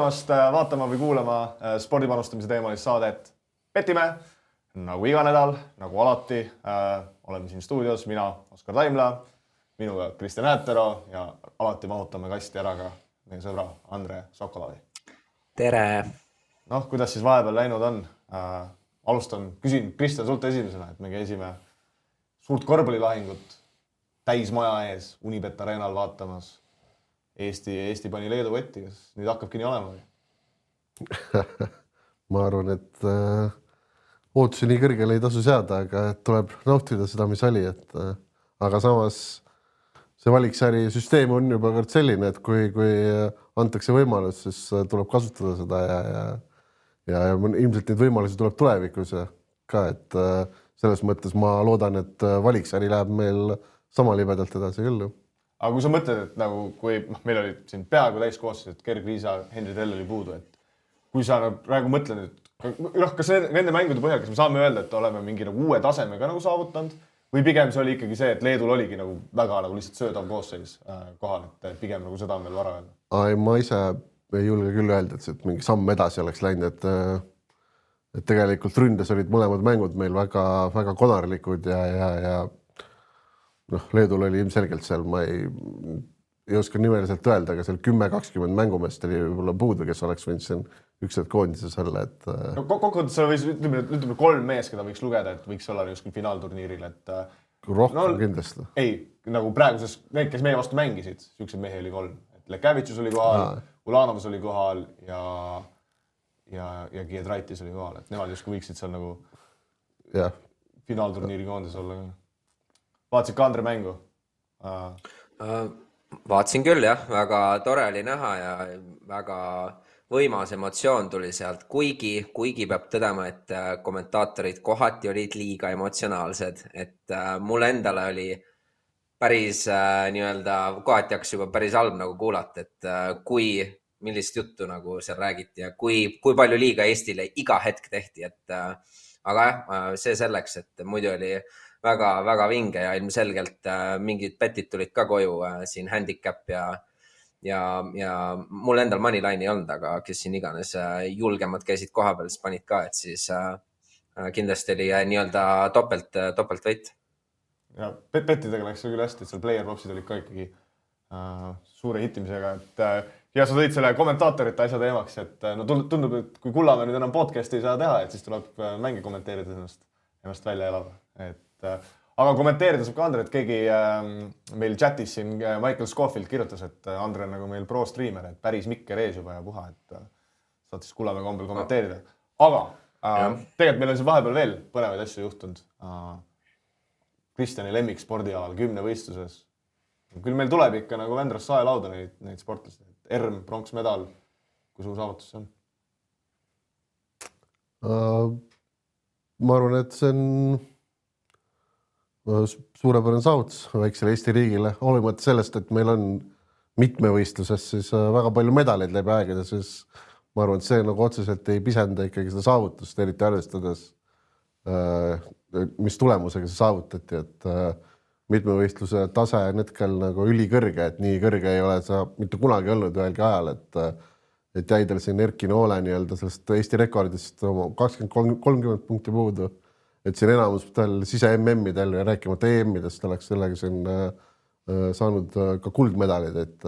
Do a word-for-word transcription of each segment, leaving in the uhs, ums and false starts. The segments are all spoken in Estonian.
tulemast vaatama või kuulama spordipanustamise teemalist saadet Petime. Nagu iga nädal, nagu alati, äh, oleme siin stuudios, mina, Oskar Taimla, minuga Kristjan Äätero ja alati mahutame kasti ära ka meie sõbra Andre Sokolavi. Tere! Noh, kuidas siis vahepeal läinud on? Äh, alustan, küsin Kristjan sult esimesena, et me käisime suurt korvpallilahingut täis maja ees Unibet Arenal vaatamas. Eesti, Eesti pani Leedu võtti, kas nüüd hakkabki nii olema? Ma arvan, et äh... ootusi nii kõrgele ei tasu seada, aga tuleb nautida seda, mis oli. Et, aga samas see valiksääri süsteem on juba kord selline, et kui, kui antakse võimalus, siis tuleb kasutada seda ja, ja, ja, ja ilmselt neid võimalusi tuleb tulevikus ka. Et selles mõttes ma loodan, et valiksääri läheb meil sama libedalt edasi küll. Aga kui sa mõtled, et nagu, kui meil oli siin peaaegu täis koostis, et Gerg Riisa, Henri Tell oli puudu, et kui sa praegu mõtled, et noh, kas nende mängude põhjal, kas me saame öelda, et oleme mingi nagu uue tasemega nagu saavutanud või pigem see oli ikkagi see, et Leedul oligi nagu väga nagu lihtsalt söödav koosseis kohal, et pigem nagu seda on veel vara öelda? Ai, ma ise ei julge küll öelda, et mingi samm edasi oleks läinud, et, et tegelikult ründes olid mõlemad mängud meil väga, väga konarlikud ja, ja, ja noh, Leedul oli ilmselgelt seal, ma ei, ei oska nimeliselt öelda, aga seal kümme kakskümmend mängumest oli võib-olla puudu, kes oleks võinud siin üks hetk koondises olla, et... No, kokkuvõttes seal võis, ütleme, ütleme kolm mees, keda võiks lugeda, et võiks olla justkui finaalturniiril, et... Rohkem no, kindlasti. Ei, nagu praeguses, need, kes meie vastu mängisid, siukseid mehi oli kolm. Et Lekavitšus oli kohal, Aa. Ulanovas oli kohal ja, ja, ja Giedraitis oli kohal, et nemad justkui võiksid seal nagu ja. Finaalturniiri koondes olla. Vaatasid ka Andre mängu? Uh. Uh, vaatasin küll, jah. Väga tore oli näha ja väga... võimas emotsioon tuli sealt, kuigi, kuigi peab tõdema, et kommentaatorid kohati olid liiga emotsionaalsed, et mulle endale oli päris nii-öelda, kohati hakkas juba päris halb nagu kuulata, et kui, millist juttu nagu seal räägiti ja kui, kui palju liiga Eestile iga hetk tehti, et aga jah, see selleks, et muidu oli väga, väga vinge ja ilmselgelt mingid petid tulid ka koju siin handicap ja Ja, ja mul endal moneyline ei olnud, aga kes siin iganes julgemad käisid koha peal, siis panid ka, et siis äh, kindlasti oli nii-öelda topelt, topelt võit. Ja pettidega läks küll hästi, et seal player propsid olid ka ikkagi äh, suure hittimisega. Et, äh, ja sa tõid selle kommentaatorite asja teemaks, et no tundub, et kui Kullamäe nüüd enam podcasti ei saa teha, et siis tuleb mängi kommenteerida ennast, ennast välja elada. Et äh, Aga kommenteerida saab ka Andre, et keegi äh, meil chatis siin Michael Scofield kirjutas, et Andre on nagu meil pro-streamer, et päris mikker ees juba ja puha, et äh, saad siis Kullamäe kombel kommenteerida. Aga äh, tegelikult meil on siin vahepeal veel põnevaid asju juhtunud. Äh, Kristjani lemmik spordialal kümne võistluses. Küll meil tuleb ikka nagu Vendras saelauda neid, neid sportlasi. Erm, pronksmedal, kui suur saavutus see on? Uh, ma arvan, et see on... suurepärane saavutus väiksele Eesti riigile, olemata sellest, et meil on mitmevõistluses siis väga palju medaleid läbi aegade, siis ma arvan, et see nagu otseselt ei pisenda ikkagi seda saavutust, eriti arvestades, mis tulemusega see saavutati, et mitmevõistluse tase on hetkel nagu ülikõrge, et nii kõrge ei ole see mitte kunagi olnud ühelgi ajal, et, et jäidel siin Erki Noole nii-öelda sellest Eesti rekordist kakskümmend kolmkümmend punkti puudu. Et siin enamus tal sise M M-idel ja rääkimata E M-idest oleks sellega siin äh, saanud ka kuldmedalid, et,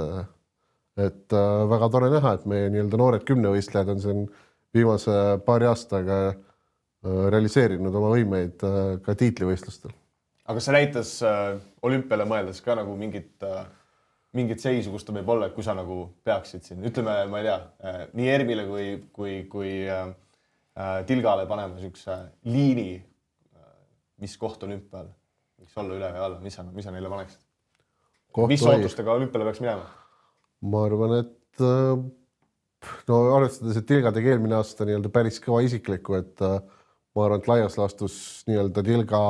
et äh, väga tore näha, et meie nii-öelda noored kümnevõistlejad on siin viimase paari aastaga äh, realiseerinud oma võimeid äh, ka tiitlivõistlustel. Aga see näitas äh, olümpiale mõeldes ka nagu mingit, äh, mingit seisu, kus ta võib olla, et kui sa nagu peaksid siin, ütleme, ma ei tea, äh, nii Ermile kui, kui, kui äh, Tilgale panema niisuguse liini, mis koht olümpial võiks olla üle või alla, mis sa, mis sa neile paneksid? Koht mis ootustega olümpiale peaks minema? Ma arvan, et no arvestades, et Tilga tegi eelmine aasta nii-öelda päris kõva isiklikku, et ma arvan, et laias laastus nii-öelda Tilga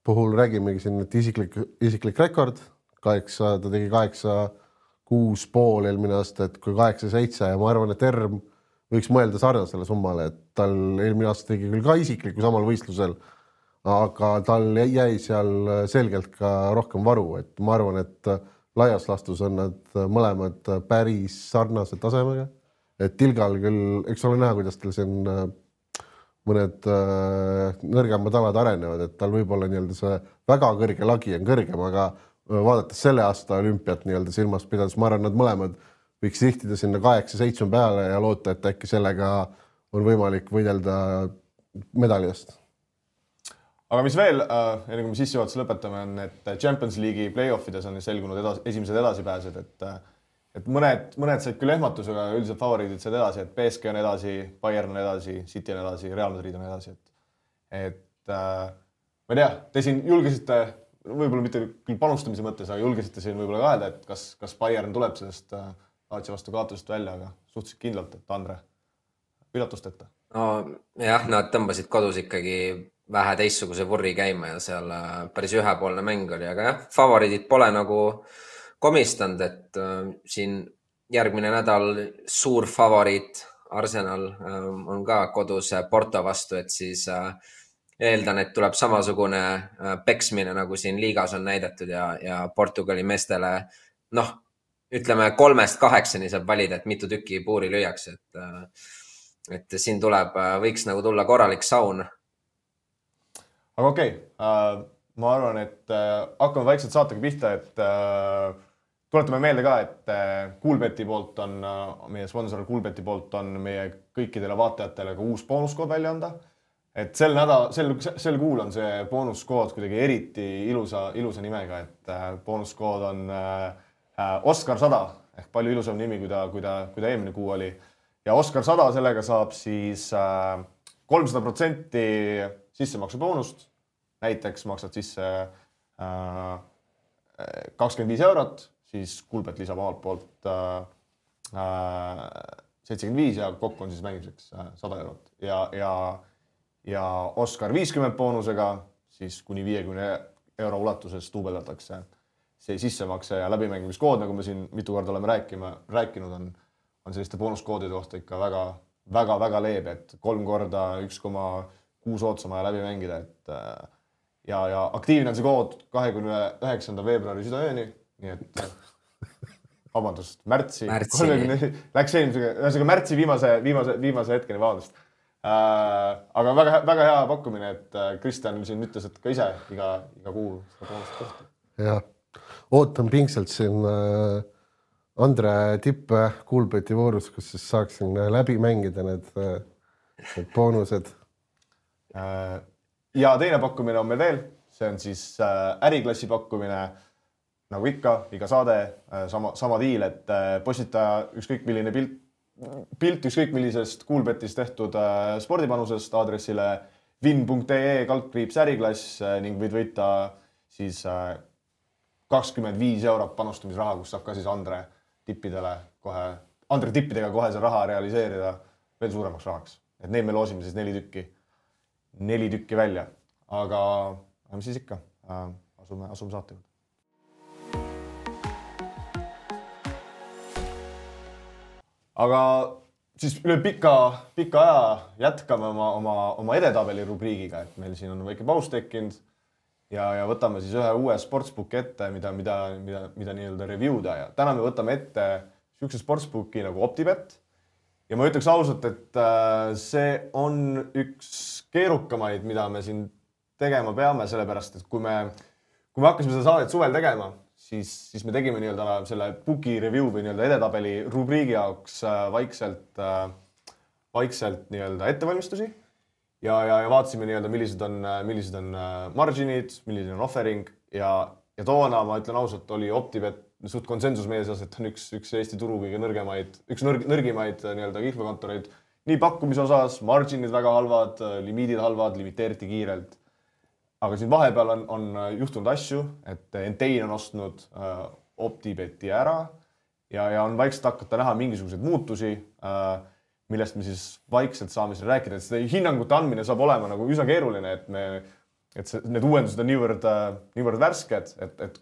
puhul räägimegi siin, et isiklik, isiklik rekord, kaheksa, ta tegi kaheksa, kuus pool eelmine aasta, et kui kaheksa, seitse ja ma arvan, et Erm võiks mõelda sarnasele summale, et tal eelmine aasta tegi küll ka isikliku samal võistlusel, aga tal jäi seal selgelt ka rohkem varu, et ma arvan, et laias laastus on nad mõlemad päris sarnase tasemega, et Tilgal küll, eks ole näha, kuidas tal siin mõned äh, nõrgemad alad arenevad, et tal võib-olla nii-öelda see väga kõrge lagi on kõrgem, aga vaadates selle aasta olümpiat nii-öelda silmas pidades, ma arvan, nad mõlemad võiks sihtida sinna kaheksa seitsme peale ja loota, et äkki sellega on võimalik võidelda medalist. Aga mis veel, enne kui me sissejuhatuse lõpetame, on, et Champions League'i play-offides on selgunud edas, esimesed edasipääsed, et, et mõned, mõned said küll ehmatusega, üldiselt favoriidid said edasi, et P S G on edasi, Bayern on edasi, City on edasi, Real Madrid on edasi. Et, et ma ei tea, te siin julgesite, võib-olla mitte küll panustamise mõttes, aga julgesite siin võib-olla ka öelda, et kas, kas Bayern tuleb sellest Lazio vastu kaotusest välja, aga suhteliselt kindlalt, et Andre, üllatust ette. No jah, nad tõmbasid kodus ikkagi vähe teistsuguse vurri käima ja seal päris ühepoolne mäng oli, aga jah, favoriidid pole nagu komistanud, et äh, siin järgmine nädal suur favoriit Arsenal äh, on ka kodus Porto vastu, et siis äh, eeldan, et tuleb samasugune äh, peksmine, nagu siin liigas on näidatud ja, ja Portugali meestele, noh, ütleme kolmest kaheksani saab valida, et mitu tükki puuri lüüakse, et, et siin tuleb, võiks nagu tulla korralik saun. Aga okei, okay. ma arvan, et hakkame vaikselt saatega pihta, et tuletame meelde ka, et Coolbeti poolt on, meie sponsor Coolbeti poolt on meie kõikidele vaatajatele ka uus boonuskood välja anda. Et sel nädal, sel, sel kuul on see boonuskood kuidagi eriti ilusa, ilusa nimega, et boonuskood on Oskar sada ehk palju ilusam nimi, kui ta, kui ta, kui ta eelmine kuu oli. Ja Oskar sada sellega saab siis kolmsada protsenti sissemaksu boonust. Näiteks maksad sisse kakskümmend viis eurot, siis Coolbet lisab omalt poolt seitsekümmend viis ja kokku on siis mängimiseks sada eurot. Ja, ja, ja Oskar viiskümmend boonusega, siis kuni viiekümne euro ulatuses tuubeldatakse see sissemakse ja läbimängimiskood, nagu me siin mitu korda oleme rääkima, rääkinud, on, on selliste boonuskoodide kohta ikka väga, väga, väga leebe, et kolm korda üks koma kuus ootsama ja läbi mängida. Et, ja, ja aktiivne on see kood kahekümne üheksanda veebruari südaööni, nii et vabandust, märtsi, kolmekümne, läks eelmisega, ühesõnaga märtsi viimase, viimase, viimase hetkeni, vabandust. Äh, aga väga, väga hea pakkumine, et Kristjan siin ütles, et ka ise iga, iga kuu seda boonust kohta. Jah. Ootan pingselt siin Andre tippe Coolbeti voorus, kus siis saaksin läbi mängida need, need boonused. Ja teine pakkumine on meil veel, see on siis äriklassi pakkumine, nagu ikka, iga saade, sama, sama diil, et postitaja ükskõik milline pilt, pilt ükskõik millisest Coolbetist tehtud spordipanusest aadressile win punkt ee kaldkriips äriklass ning võid võita siis kakskümmend viis eurot panustamisraha, kus saab ka siis Andre tippidele kohe, Andre tippidega kohe see raha realiseerida veel suuremaks rahaks. Et neid me loosime siis neli tükki, neli tükki välja. Aga mis siis ikka? Asume, asume saate juurde. Aga siis üle pika, pika aja jätkame oma, oma, oma edetabeli rubriigiga, et meil siin on väike paus tekkinud. Ja, ja võtame siis ühe uue sportsbooki ette, mida, mida, mida, mida nii-öelda reviewda. Ja täna me võtame ette sükse sportsbooki nagu OpTibet. Ja ma ütleks ausalt, et see on üks keerukamaid, mida me siin tegema peame, sellepärast, et kui me, kui me hakkasime seda saadet suvel tegema, siis, siis me tegime nii-öelda selle booki review või nii-öelda edetabeli rubriigi jaoks vaikselt, vaikselt nii-öelda ettevalmistusi. Ja, ja, ja vaatasime nii-öelda, millised on, millised on marginid, millised on offering ja, ja toona, ma ütlen ausalt, oli OpTibet suht konsensus meie seas, et on üks, üks Eesti turu kõige nõrgemaid, üks nõrg, nõrgimaid nii-öelda kihlveokontoreid. Nii pakkumise osas, marginid väga halvad, limiidid halvad, limiteeriti kiirelt. Aga siin vahepeal on, on juhtunud asju, et Entain on ostnud äh, OpTibeti ära ja, ja on vaikselt hakata näha mingisuguseid muutusi, äh, millest me siis vaikselt saame siin rääkida, et seda hinnangute andmine saab olema nagu üsna keeruline, et, me, et see, need uuendused on niivõrd, niivõrd värsked, et, et,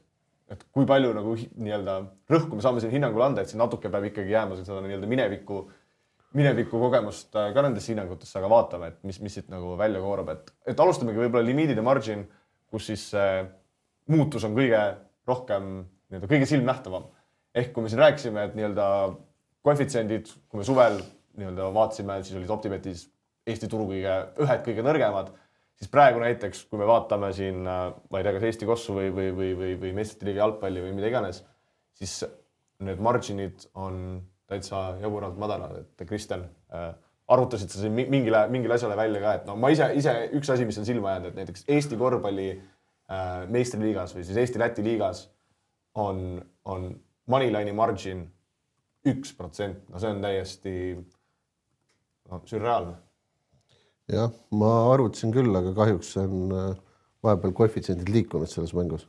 et kui palju nagu nii-öelda rõhku me saame siin hinnangule anda, et siin natuke peab ikkagi jääma seda nii-öelda mineviku, mineviku kogemust ka nendesse hinnangutesse, aga vaatame, et mis, mis siit nagu välja koorab. Et, et alustamegi võib-olla limiidid ja margin, kus siis muutus on kõige rohkem, nii-öelda kõige silmnähtavam. Ehk kui me siin rääkisime, et nii-öelda koefitsiendid, kui me suvel nii-öelda vaatasime, siis olid OpTibetis Eesti turu kõige, ühed kõige nõrgemad, siis praegu näiteks, kui me vaatame siin, ma ei tea, kas Eesti kossu või, või, või, või, või meistrite liiga jalgpalli või mida iganes, siis need marginid on täitsa jaburalt madalad, et Kristjan, arutasid sa siin mingile, mingile asjale välja ka, et no ma ise, ise üks asi, mis on silma jäänud, et näiteks Eesti korvpalli meistriliigas või siis Eesti-Läti liigas on, on moneyline'i margin üks protsent, no see on täiesti no, sürreaalne. Jah, ma arvutasin küll, aga kahjuks on vahepeal koefitsiendid liikunud selles mängus.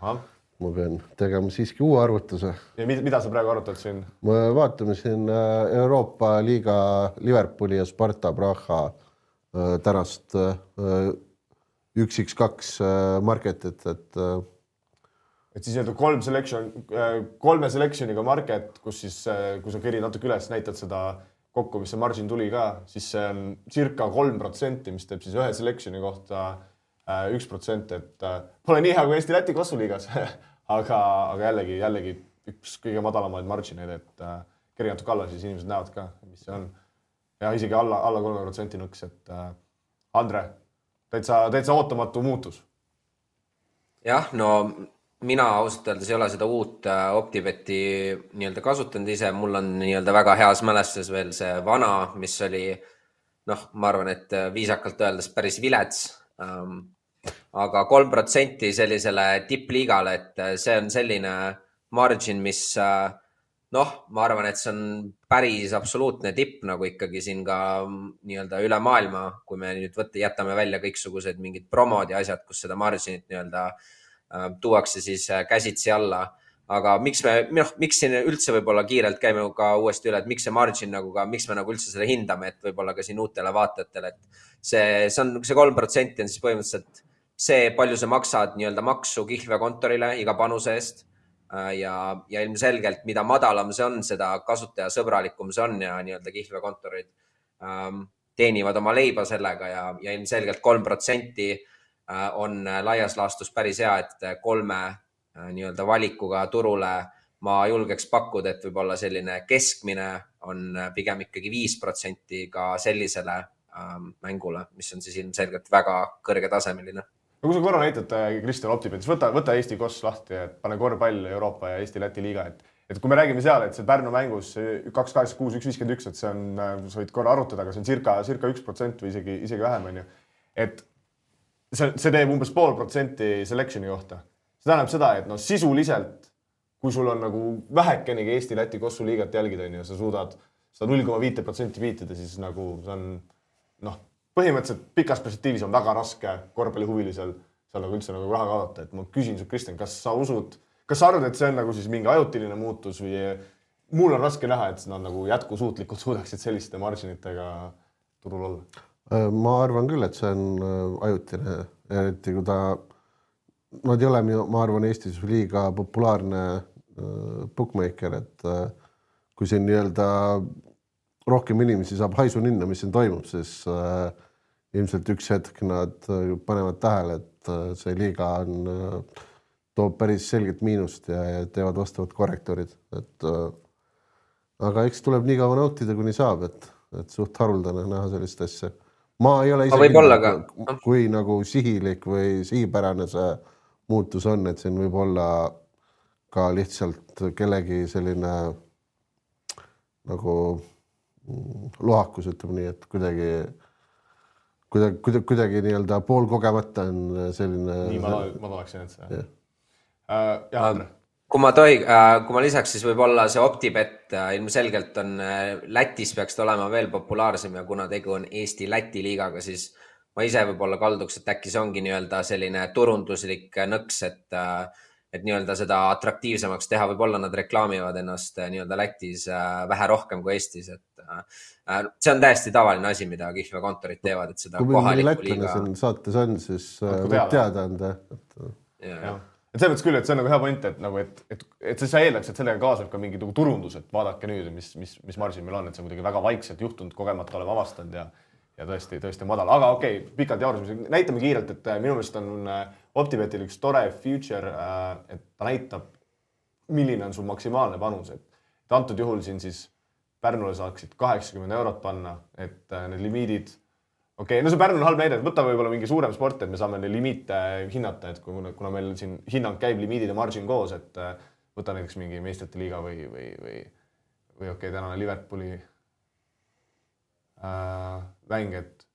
Aha. Ma pean tegema siiski uue arvutuse. Ja mida sa praegu arvutad siin? Me vaatame siin Euroopa liiga Liverpooli ja Sparta Praha tänast üks iks kaks marketit, et et siis nii-öelda kolm selection, kolme selectioniga market, kus siis, kui sa kerid natuke üles, näitad seda kokku, mis see margin tuli ka, siis see on circa kolm protsenti, mis teeb siis ühe selectioni kohta üks protsent, et pole nii hea kui Eesti-Läti kossuliigas, aga, aga jällegi, jällegi üks kõige madalamaid margineid, et keri natuke alla, siis inimesed näevad ka, mis see on. Ja isegi alla, alla kolme protsenti nõks, et Andre, täitsa, täitsa ootamatu muutus. Jah, no mina ausalt öeldes ei ole seda uut OpTibeti nii-öelda kasutanud ise, mul on nii-öelda väga heas mälestus veel see vana, mis oli, noh, ma arvan, et viisakalt öeldes päris vilets, ähm, aga kolm protsenti sellisele tippliigale, et see on selline margin, mis noh, ma arvan, et see on päris absoluutne tipp nagu ikkagi siin ka nii-öelda üle maailma, kui me nüüd võtta, jätame välja kõiksugused mingid promod ja asjad, kus seda marginit nii-öelda äh, tuuakse siis äh, käsitsi alla. Aga miks me, noh, miks siin üldse võib-olla kiirelt käime ka uuesti üle, et miks see margin nagu ka, miks me nagu üldse selle hindame, et võib-olla ka siin uutele vaatajatele, et see, see on, see kolm protsenti on siis põhimõtteliselt see, palju sa maksad nii-öelda maksu kihlveokontorile iga panuse eest. Ja, ja ilmselgelt, mida madalam see on, seda kasutajasõbralikum see on ja nii-öelda kihlveokontorid ähm, teenivad oma leiba sellega ja, ja ilmselgelt kolm protsenti äh, on laias laastus päris hea, et kolme äh, nii-öelda valikuga turule ma julgeks pakkuda, et võib-olla selline keskmine on pigem ikkagi viis protsenti ka sellisele ähm, mängule, mis on siis ilmselgelt väga kõrge tasemeline. Kui sa korra näitad Kristjan OpTibetis, võta, võta Eesti koss lahti, et pane korvpall Euroopa ja Eesti-Läti liiga. Et, et kui me räägime seal, et see Pärnu mängus kaks kaheksakümmend kuus üks viiskümmend üks, et see on, sa võid korra arutada, aga see on circa, circa üks protsent või isegi, isegi vähem. On ju. Et see, see teeb umbes pool protsenti selectioni kohta. See tähendab seda, et no, sisuliselt, kui sul on nagu vähekenegi Eesti-Läti kossu liigat jälgida, on ju, sa suudad seda null koma viis protsenti viitida, siis nagu see on noh, põhimõtteliselt pikas perspektiivis on väga raske korvpallihuvilisel seal nagu üldse nagu raha kaadata. Et ma küsin su, Kristjan, kas sa usud, kas sa arvad, et see on nagu siis mingi ajutiline muutus või mul on raske näha, et nad nagu jätkusuutlikult suudaksid selliste marginitega turul olla? Ma arvan küll, et see on ajutine, eriti kui ta, nad ei ole, ma arvan, Eestis liiga populaarne bookmaker, et kui siin nii-öelda rohkem inimesi saab haisu ninna, mis siin toimub, siis äh, ilmselt üks hetk nad panevad tähele, et see liiga on, äh, toob päris selget miinust ja, ja teevad vastavad korrektorid. Et, äh, aga eks tuleb nii kaua nautida, kuni saab, et, et suht haruldane näha sellist asja. Ma ei ole ise kindel, ka... kui nagu sihilik või sihipärane see muutus on, et siin võib olla ka lihtsalt kellegi selline nagu lohakus, ütleme nii, et kuidagi, kuidagi, kuidagi, kuidagi nii-öelda pool kogemata on selline... Nii ma, ma tuleks jäänud seda. Uh, ja, Andre. Kui ma, tohi, kui ma lisaks, siis võib-olla see OpTibet ilmselgelt on Lätis peaks olema veel populaarsem ja kuna tegu on Eesti-Läti liigaga, siis ma ise võib-olla kalduks, et äkki see ongi nii-öelda selline turunduslik nõks, et et nii-öelda seda atraktiivsemaks teha, võib-olla nad reklaamivad ennast nii-öelda Lätis vähe rohkem kui Eestis, et see on täiesti tavaline asi, mida kihlveokontorid teevad, et seda kui kohaliku liiga... Kui meil saates on, siis võib teada anda. Et... Ja, ja. Et see mõttes küll, et see on nagu hea point, et, nagu, et, et, et sa eeldaks, et sellega kaasab ka mingi turundus, et vaadake nüüd, mis, mis, mis margin meil on, et see on kuidagi väga vaikselt juhtunud, kogemata oleme avastanud ja ja tõesti, tõesti madal. Aga okei, okay, pikalt jaurusime. Näitame kiirelt, et minu meelest on OpTibetil üks tore feature, et ta näitab, milline on sul maksimaalne panus. Et antud juhul siin siis Pärnule saaksid kaheksakümmend eurot panna, et need limiidid, okei, okay, no see Pärnu on halb näide, et võta võib-olla mingi suurem sport, et me saame neid limiite hinnata, et kuna, kuna meil siin hinnang käib limiidid ja margin koos, et võta näiteks mingi meistrite liiga või, või, või, või okei, okay, tänane Liverpooli äh, mäng, et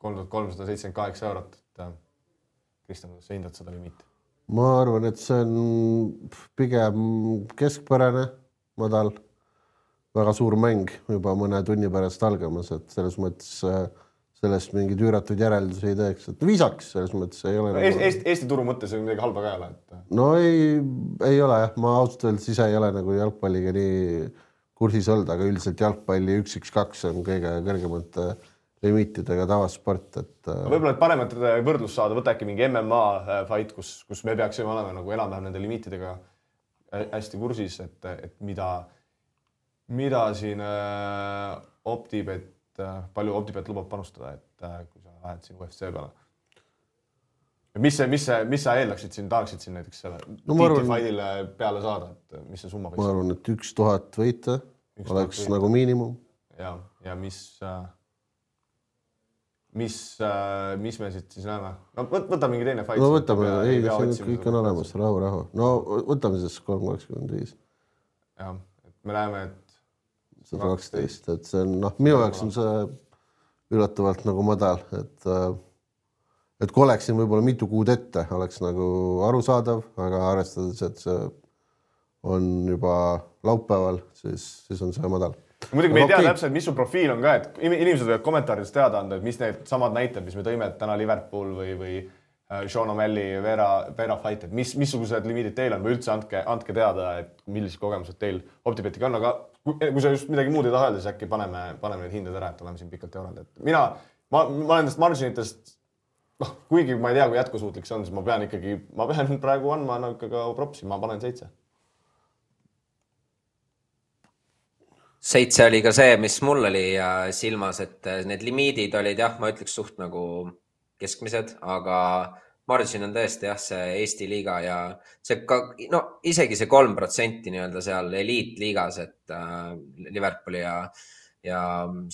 kolm tuhat kolmsada seitsekümmend kaheksa eurot, et äh, Kristjan, kuidas sa hindad seda limiiti? Ma arvan, et see on pigem keskpärane, madal, väga suur mäng juba mõne tunni pärast algamas, et selles mõttes sellest mingid üüratud järeldusi ei teeks, et viisaks selles mõttes ei ole. No, nagu... Eesti, Eesti turu mõttes on midagi halba ka ei ole. Et... No ei, ei ole jah, ma ausalt öeldes ise ei ole nagu jalgpalliga nii kursis olnud, aga üldiselt jalgpalli üks üks kaks on kõige kõrgemate limiitidega tavasport, et no võib-olla et paremat võrdlust saada, võta äkki mingi M M A fight, kus, kus me peaksime olema nagu enam-vähem nende limiitidega hästi kursis, et, et mida, mida siin äh, OpTibet, äh, palju OpTibet lubab panustada, et äh, kui sa lähed siin U F C peale. Mis, see, mis, see, mis sa eeldaksid siin, tahaksid siin näiteks selle no, arvan, fightile peale saada, et mis see summa võiks? Ma arvan, et üks tuhat võita oleks võita. Nagu miinimum. Ja, ja mis... Äh, Mis, mis me siit siis näeme? No võta mingi teine fight. No võtame, ei, see kõik on olemas, rahu, rahu. No võtame siis kolm kakskümmend viis. Jah, et me näeme, et sada kaksteist, et see on, noh, minu jaoks on see üllatavalt nagu madal, et et kui oleksin võib-olla mitu kuud ette, oleks nagu arusaadav, aga arvestades, et see on juba laupäeval, siis, siis on see madal. Muidugi me ei tea okay. täpselt, mis su profiil on ka, et inimesed võivad kommentaarides teada anda, et mis need samad näited, mis me tõime, et täna Liverpool või, või Sean O'Malley, Vera, Vera fight, et mis, missugused limiidid teil on või üldse andke, andke teada, et millised kogemused teil OpTibetiga on, aga kui, kui sa just midagi muud ei taha öelda, siis äkki paneme, paneme need hinded ära, et oleme siin pikalt eurald. Et mina, ma, ma olen nendest marginitest, noh, kuigi ma ei tea, kui jätkusuutlik see on, siis ma pean ikkagi, ma pean praegu andma no, ka propsi, ma panen seitse. Seitse oli ka see, mis mul oli silmas, et need limiidid olid jah, ma ütleks suht nagu keskmised, aga margin on tõesti jah, see Eesti liiga ja see ka, no isegi see kolm protsenti nii-öelda seal eliitliigas, et äh, Liverpooli ja, ja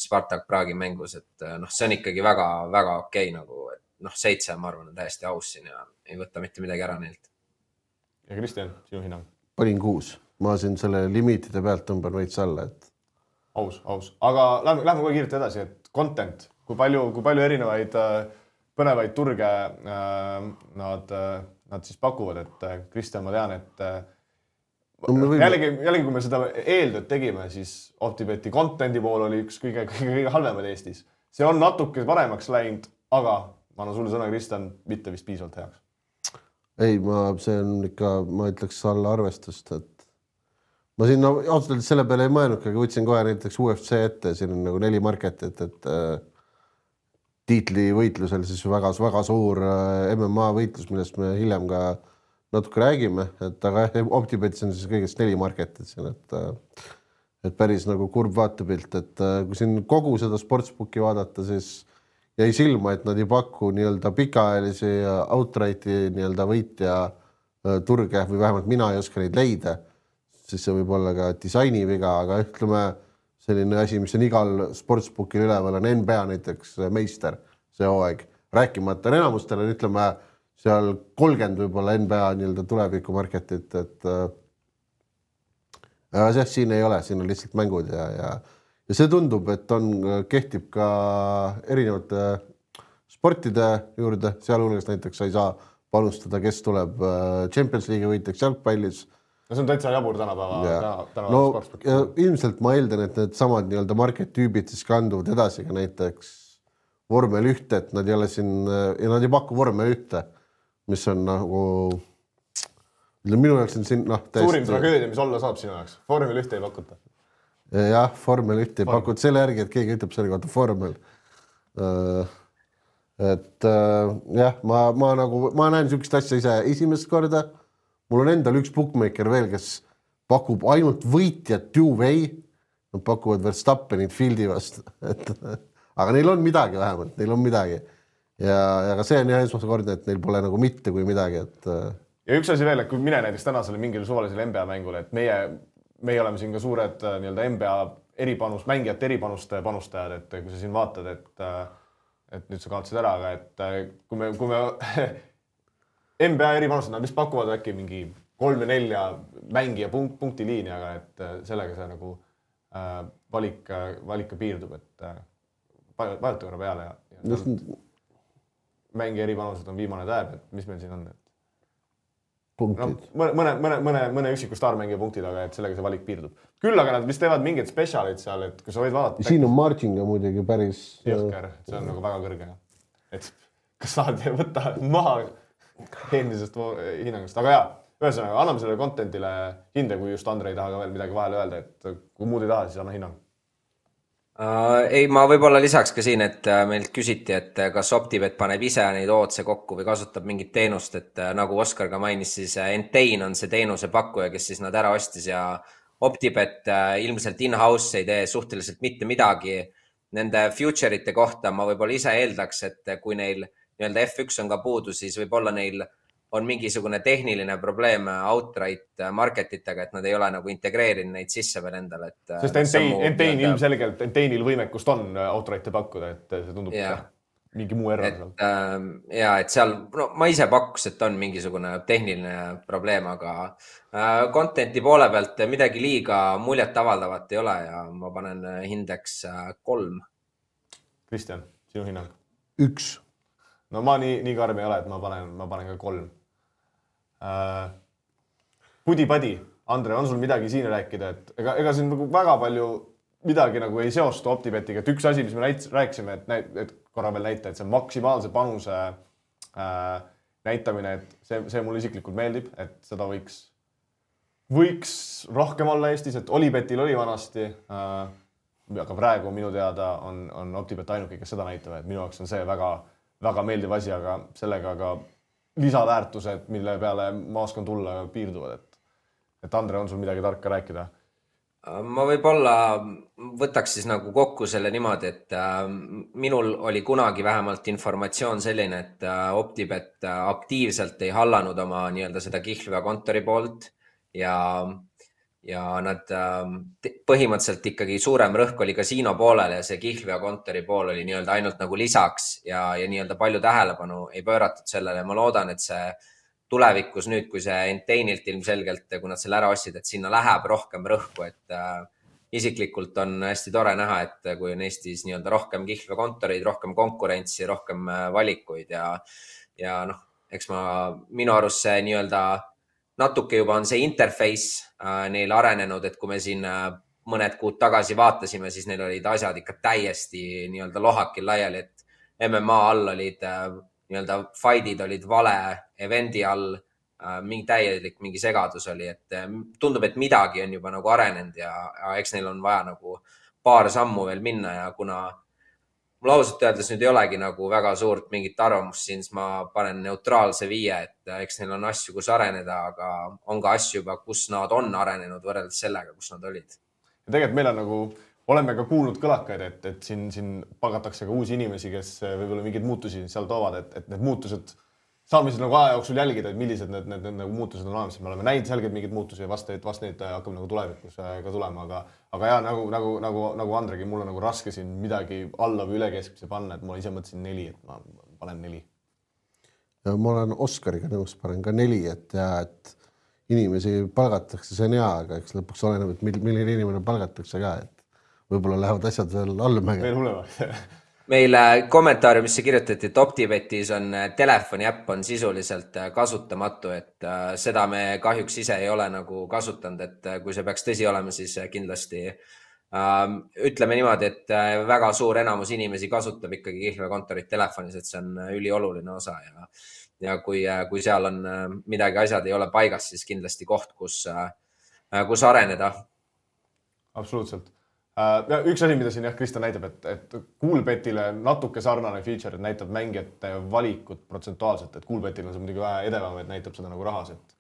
Spartak Praagi mängus, et noh, see on ikkagi väga, väga okei nagu, et noh, seitse ma arvan on täiesti aus siin ja ei võta mitte midagi ära neilt. Ja Kristjan, sinu hinnang? Panin kuus. Ma siin selle limiitide pealt tõmban veits alla, et Aus, aus. Aga lähme, lähme kohe kiirelt edasi, et content, kui palju, kui palju erinevaid äh, põnevaid turge äh, nad, äh, nad siis pakuvad, et äh, Kristjan, ma tean, et äh, no, võime... jällegi, jällegi, kui me seda eeltööd tegime, siis OpTibeti contenti pool oli üks kõige, kõige, kõige halvemad Eestis. See on natuke paremaks läinud, aga ma annan sulle sõna, Kristjan, mitte vist piisavalt heaks. Ei, ma, see on ikka, ma ütleks alla arvestust, et ma siin no, ausalt selle peale ei mõelnud, aga võtsin kohe näiteks U F C ette, siin on nagu neli marketit, et äh, tiitli võitlusel siis väga, väga suur äh, M M A võitlus, millest me hiljem ka natuke räägime, et aga OpTibetis on siis kõigest neli marketit siin, et, äh, et päris nagu kurb vaatepilt, et äh, kui siin kogu seda sportsbooki vaadata, siis jäi silma, et nad ei paku nii-öelda pikaajalisi outrighti nii-öelda võitja äh, turge või vähemalt mina ei oska neid leida. Siis see võib olla ka disaini viga, aga ütleme selline asi, mis on igal sportsbookil üleval on N B A näiteks meister see hooaeg. Rääkimata enamustel on ütleme seal kolmkümmend võib-olla N B A nii-öelda tuleviku marketit, et äh, see, siin ei ole, siin on lihtsalt mängud ja, ja, ja see tundub, et on, kehtib ka erinevate sportide juurde, sealhulgas näiteks sa ei saa panustada, kes tuleb Champions League võitjaks jalgpallis. No see on täitsa jabur tänapäeva, tänapäeva no, sportspooki. Ilmselt ma eeldan, et need samad nii-öelda market tüübid siis kanduvad edasi ka näiteks vormel ühte, et nad ei ole siin ja nad ei paku vormel ühte, mis on nagu minu jaoks on siin noh täiesti... Suurim tragöödia, mis olla saab sinu jaoks. Vormel ühte ei pakuta. Jah, vormel ühte ei pakuta selle järgi, et keegi ütleb selle kohta vormel. Et jah, ma, ma nagu ma näen niisugust asja ise esimest korda. Mul on endal üks bookmaker veel, kes pakub ainult võitjat two-way. Nad pakuvad Verstappenit Fieldi vastu. Et, aga neil on midagi vähemalt, neil on midagi. Ja, ja ka see on jah esmaskorda, et neil pole nagu mitte kui midagi. Et... Ja üks asi veel, et kui mine näiteks tänasele mingile suvalisele N B A mängule, et meie meie oleme siin ka suured nii-öelda N B A eripanus, mängijate eripanuste panustajad, et kui sa siin vaatad, et, et nüüd sa kaotasid ära, aga et kui me, kui me N B A eripanustajad, nad vist pakuvad äkki mingi kolm ja nelja mängija punkt, punkti liini, aga et sellega see nagu äh, valik, valik piirdub, et äh, vajuta korra peale ja, ja Just... mängija eripanused on viimane tääb, et mis meil siin on, et no, mõne, mõne, mõne, mõne üksiku staarmängija punktid, aga et sellega see valik piirdub. Küll aga nad vist teevad mingid spetsialid seal, et kui sa võid vaadata... Siin on marginga muidugi päris... Jõhker, see on nagu väga kõrge. Et kas saad võtta maha eelmisest hinnangust. Aga jaa, ühesõnaga, anname sellele contentile hinde, kui just Andre ei taha ka veel midagi vahele öelda, et kui muud ei taha, siis anna hinnang. Uh, ei, ma võib-olla lisaks ka siin, et uh, meilt küsiti, et uh, kas OpTibet paneb ise neid ootse kokku või kasutab mingit teenust, et uh, nagu Oskar ka mainis, siis uh, Entain on see teenuse pakkuja, kes siis nad ära ostis ja OpTibet uh, ilmselt in-house ei tee suhteliselt mitte midagi. Nende future'ite kohta ma võib-olla ise eeldaks, et uh, kui neil nii-öelda F üks on ka puudu, siis võib-olla neil on mingisugune tehniline probleem outright marketitega, et nad ei ole nagu integreerinud neid sisse veel endale. Et sest Entain, Entain ilmselgelt, Entainil võimekust on outright'e pakkuda, et see tundub yeah. mingi muu error. Et, äh, ja, et seal, no ma ise pakkus, et on mingisugune tehniline probleem, aga äh, content'i poole pealt midagi liiga muljet avaldavat ei ole ja ma panen hindeks äh, kolm. Kristjan, sinu hinnang? Üks. No ma nii, nii karm ei ole, et ma panen, ma panen ka kolm. Uh, Pudi-padi, Andre, on sul midagi siin rääkida, et ega, ega siin nagu väga palju midagi nagu ei seostu OpTibetiga, et üks asi, mis me näit, rääkisime, et, näit, et korra veel näita, et see maksimaalse panuse uh, näitamine, et see, see mulle isiklikult meeldib, et seda võiks, võiks rohkem olla Eestis, et Olibetil oli vanasti, uh, aga praegu minu teada on, on OpTibet ainuke, kes seda näitab, et minu jaoks on see väga väga meeldiv asi, aga sellega ka lisaväärtused, mille peale ma oskan tulla piirduvad. Et, et Andre, on sul midagi tarka rääkida? Ma võib-olla võtaks siis nagu kokku selle niimoodi, et minul oli kunagi vähemalt informatsioon selline, et OpTibet aktiivselt ei hallanud oma nii-öelda seda kihlvea kontori poolt ja ja nad põhimõtteliselt ikkagi suurem rõhk oli kasiino poolel ja see kihlvea kontori pool oli nii-öelda ainult nagu lisaks ja, ja nii-öelda palju tähelepanu ei pööratud sellele. Ma loodan, et see tulevikus nüüd, kui see Entainilt ilmselgelt, kui nad selle ära ostsid, et sinna läheb rohkem rõhku, et äh, isiklikult on hästi tore näha, et kui on Eestis nii-öelda rohkem kihlvea kontoreid, rohkem konkurentsi, rohkem valikuid ja, ja noh, eks ma minu arust see nii-öelda natuke juba on see interface äh, neil arenenud, et kui me siin äh, mõned kuud tagasi vaatasime, siis neil olid asjad ikka täiesti nii-öelda lohakil laiali, et M M A all olid äh, nii-öelda fight'id olid vale eventi all, äh, mingi täielik mingi segadus oli, et äh, tundub, et midagi on juba nagu arenenud ja, ja eks neil on vaja nagu paar sammu veel minna ja kuna mul ausalt öeldes nüüd ei olegi nagu väga suurt mingit arvamust siin, siis ma panen neutraalse viie, et eks neil on asju, kus areneda, aga on ka asju juba, kus nad on arenenud võrreldes sellega, kus nad olid. Ja tegelikult meil on nagu, oleme ka kuulnud kõlakaid, et, et siin, siin pagatakse ka uusi inimesi, kes võib-olla mingeid muutusi seal toovad, et, et need muutused saame siis nagu aja jooksul jälgida, et millised need, need, need nagu muutused on olemas. Me oleme näinud selgelt mingeid muutusi ja vast neid, vast neid hakkab nagu tulevikus ka tulema, aga, aga jah, nagu, nagu, nagu, nagu Andregi, mul on nagu raske siin midagi alla või üle keskmise panna, et ma ise mõtlesin neli, et ma panen neli. Ja ma olen Oskariga nõus, panen ka neli, et, ja, et inimesi palgatakse, see on hea, aga eks lõpuks oleneb, et milline inimene palgatakse ka, et võib-olla lähevad asjad veel allmäge. Veel hullemaks. Meile kommentaariumisse kirjutati, et OpTibetis on telefoni äpp on sisuliselt kasutamatu, et seda me kahjuks ise ei ole nagu kasutanud, et kui see peaks tõsi olema, siis kindlasti äh, ütleme niimoodi, et väga suur enamus inimesi kasutab ikkagi kihlvea kontorit telefonis, et see on ülioluline osa ja, ja kui, kui seal on midagi, asjad ei ole paigas, siis kindlasti koht, kus, kus areneda. Absoluutselt. Ja üks asi, mida siin jah, Kristjan näitab, et, et Coolbetile natuke sarnane feature, et näitab mängijate valikut protsentuaalselt, et Coolbetil on see muidugi vähe edevam, et näitab seda nagu rahas, et,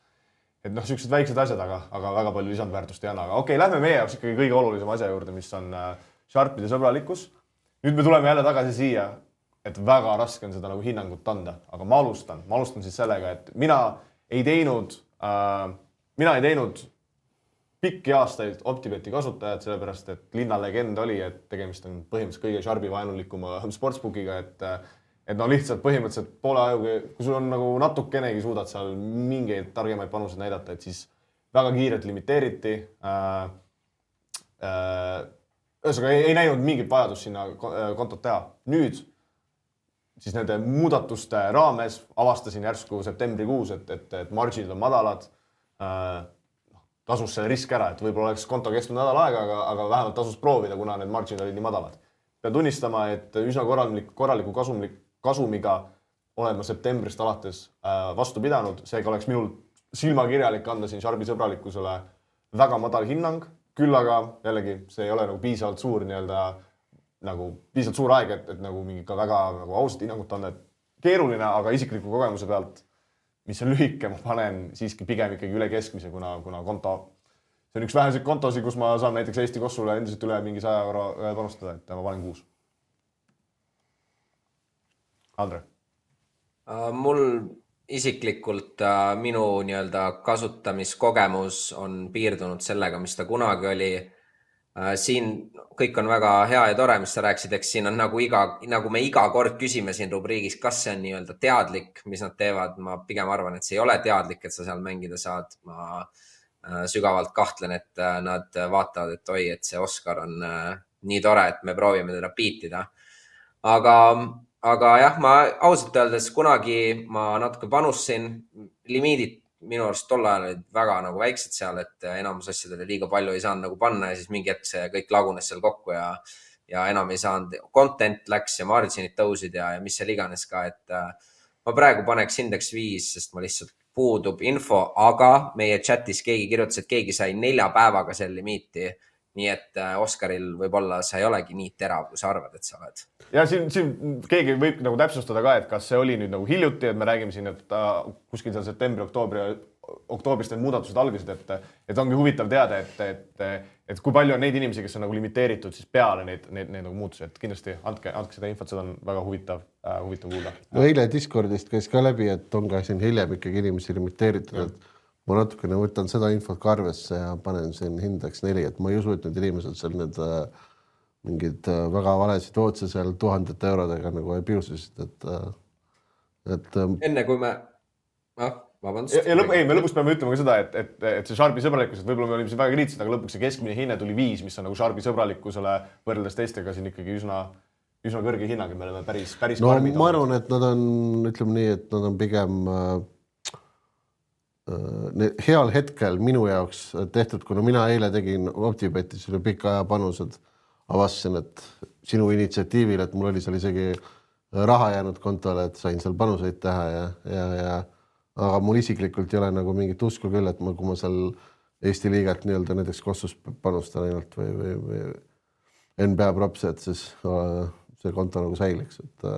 et noh, sellised väiksed asjad, aga, aga väga palju lisandväärtust ei anna. Aga okei, lähme meie jaoks ikkagi kõige olulisem asja juurde, mis on Sharpide sõbralikkus. Nüüd me tuleme jälle tagasi siia, et väga raske on seda nagu hinnangut anda, aga ma alustan. Ma alustan siis sellega, et mina ei teinud, äh, mina ei teinud pikki aastaid OpTibeti kasutajad, sellepärast et linnalegend oli, et tegemist on põhimõtteliselt kõige Sharpi vaenulikuma sportsbookiga, et et no lihtsalt põhimõtteliselt poole ajuga, kui sul on nagu natukenegi suudad seal mingeid targemaid panuseid näidata, et siis väga kiirelt limiteeriti. Äh, äh, ühesõnaga ei, ei näinud mingit vajadust sinna kontot teha. Nüüd siis nende muudatuste raames avastasin järsku septembrikuus, et, et, et marginid on madalad. Äh, tasus see risk ära, et võib-olla oleks konto kestnud nädal aega, aga, aga vähemalt tasus proovida, kuna need marginid olid nii madalad. Pean tunnistama, et üsna korralik, korraliku kasumlik, kasumiga olen ma septembrist alates äh, vastu pidanud. Seega oleks minul silmakirjalik anda siin Sharpi sõbralikkusele väga madal hinnang. Küll aga jällegi see ei ole nagu piisavalt suur nii-öelda nagu piisavalt suur aeg, et, et nagu mingi ka väga nagu ausat hinnangut anda. Keeruline, aga isikliku kogemuse pealt, mis on lühike, ma panen siiski pigem ikkagi üle keskmise, kuna, kuna konto, see on üks väheseid kontosi, kus ma saan näiteks Eesti Kossule endiselt üle mingi saja euro panustada, et ma panen kuus. Andre? Mul isiklikult minu nii-öelda kasutamiskogemus on piirdunud sellega, mis ta kunagi oli. Siin kõik on väga hea ja tore, mis sa rääksid, eks siin on nagu, iga, nagu me iga kord küsime siin rubriigis, kas see on nii-öelda teadlik, mis nad teevad. Ma pigem arvan, et see ei ole teadlik, et sa seal mängida saad. Ma sügavalt kahtlen, et nad vaatavad, et oi, et see Oskar on nii tore, et me proovime teda piitida. Aga Aga jah, ma ausalt öeldes kunagi ma natuke panustasin, limiidid minu arust tol ajal olid väga nagu väiksed seal, et enamus asjadele liiga palju ei saanud nagu panna ja siis mingi hetk see kõik lagunes seal kokku ja, ja enam ei saanud. Content läks ja marginid tõusid ja, ja mis seal iganes ka, et ma praegu paneks indeks viis, sest ma lihtsalt puudub info, aga meie chatis keegi kirjutas, et keegi sai nelja päevaga seal limiiti. Nii et Oskaril võib-olla sa ei olegi nii terav, kui sa arvad, et sa oled. Ja siin, siin keegi võib nagu täpsustada ka, et kas see oli nüüd nagu hiljuti, et me räägime siin, et kuskil seal septembri, oktoobri, oktoobrist need muudatused algasid, et, et ongi huvitav teada, et, et, et kui palju on neid inimesi, kes on nagu limiteeritud siis peale neid, neid, neid nagu muutusi, et kindlasti andke, andke seda infot, seda on väga huvitav, äh, huvitav kuulda. No eile Discordist käis ka läbi, et on ka siin hiljem ikkagi inimesi limiteeritud, et ma natukene võtan seda infot ka arvesse ja panen siin hindeks neli, et ma ei usu, et need inimesed seal need äh, mingid äh, väga valesid otse seal tuhandete eurodega nagu ei piusisid, et, äh, et enne kui me ah, vabandust. Ja, ja lõp, ei, me lõpuks peame ütlema ka seda, et, et, et see Sharpi sõbralikkus, et võib-olla me olime siin väga kriitilised, aga lõpuks see keskmine hinne tuli viis, mis on nagu Sharpi sõbralikkusele võrreldes teistega siin ikkagi üsna, üsna kõrge hinnang, me oleme päris, päris no, karmid. Ma arvan, et nad on, ütleme nii, et nad on pigem äh, heal hetkel minu jaoks tehtud, kuna mina eile tegin OpTibetis üle pika aja panused, avastasin, et sinu initsiatiivil, et mul oli seal isegi raha jäänud kontole, et sain seal panuseid teha ja, ja, ja aga mul isiklikult ei ole nagu mingit usku küll, et ma, kui ma seal Eesti liigat nii-öelda näiteks Kossus panustan ainult või, või, või N B A props, et siis see konto nagu säiliks, et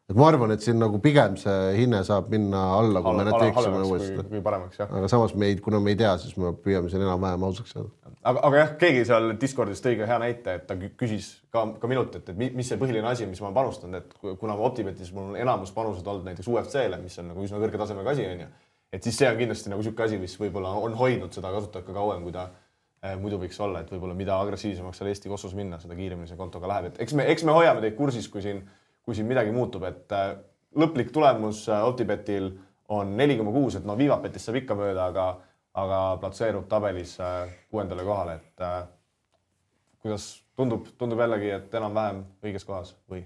et ma arvan, et siin nagu pigem see hinne saab minna alla, kui alla, me need teeksime uuesti. Kui paremaks, jah. Aga samas me ei, kuna me ei tea, siis me püüame siin enam-vähem ausaks saada. Aga, aga jah, keegi seal Discordis tõi ka hea näite, et ta küsis ka, ka minult, et, et mis see põhiline asi, mis ma panustan, et kuna OpTibetis mul on enamus panused olnud näiteks U F C-le, mis on nagu üsna kõrge tasemega asi, on ju, et siis see on kindlasti nagu siuke asi, mis võib-olla on hoidnud seda kasutajat ka kauem, kui ta eh, muidu võiks olla, et võib-olla mida agressiivsemaks seal Eesti Kossus minna, seda kiiremini see kontoga läheb. Et eks me, eks me hoiame teid kursis, kui siin kui siin midagi muutub, et lõplik tulemus OpTibetil on neli koma kuus, et no Vivapetis saab ikka mööda, aga, aga platseerub tabelis kuuendale kohale, et kuidas tundub, tundub jällegi, et enam-vähem õiges kohas või?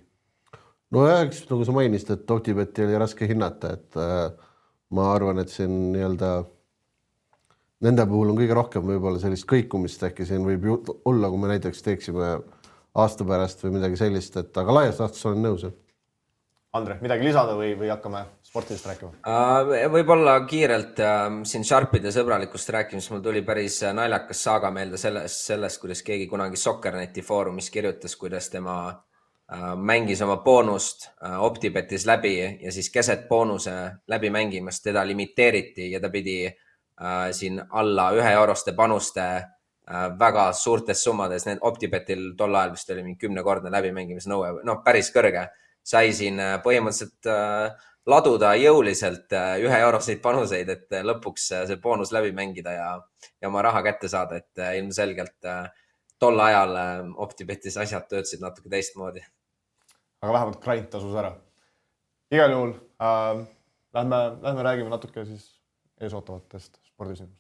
No jah, eks nagu sa mainisid, et OpTibeti oli raske hinnata, et ma arvan, et siin nii-öelda nende puhul on kõige rohkem võib-olla sellist kõikumist äkki siin võib olla, kui me näiteks teeksime aasta pärast või midagi sellist, et aga laias laastus olen nõus. Andre, midagi lisada või, või hakkame sportidest rääkima? Võib-olla kiirelt siin Sharpide sõbralikust rääkimis mul tuli päris naljakas saaga meelde sellest, sellest, kuidas keegi kunagi Soccerneti foorumis kirjutas, kuidas tema mängis oma boonust OpTibetis läbi ja siis keset boonuse läbi mängimast teda limiteeriti ja ta pidi siin alla ühe euroste panuste väga suurtes summades, need OpTibetil tol ajal vist oli mingi kümnekordne läbimängimise nõue, no päris kõrge. Sai siin põhimõtteliselt laduda jõuliselt ühe euroseid panuseid, et lõpuks see boonus läbi mängida ja, ja oma raha kätte saada, et ilmselgelt tol ajal OpTibetis asjad töötasid natuke teistmoodi. Aga vähemalt grind tasus ära. Igal juhul äh, lähme, lähme räägime natuke siis eesootavatest spordisündmustest.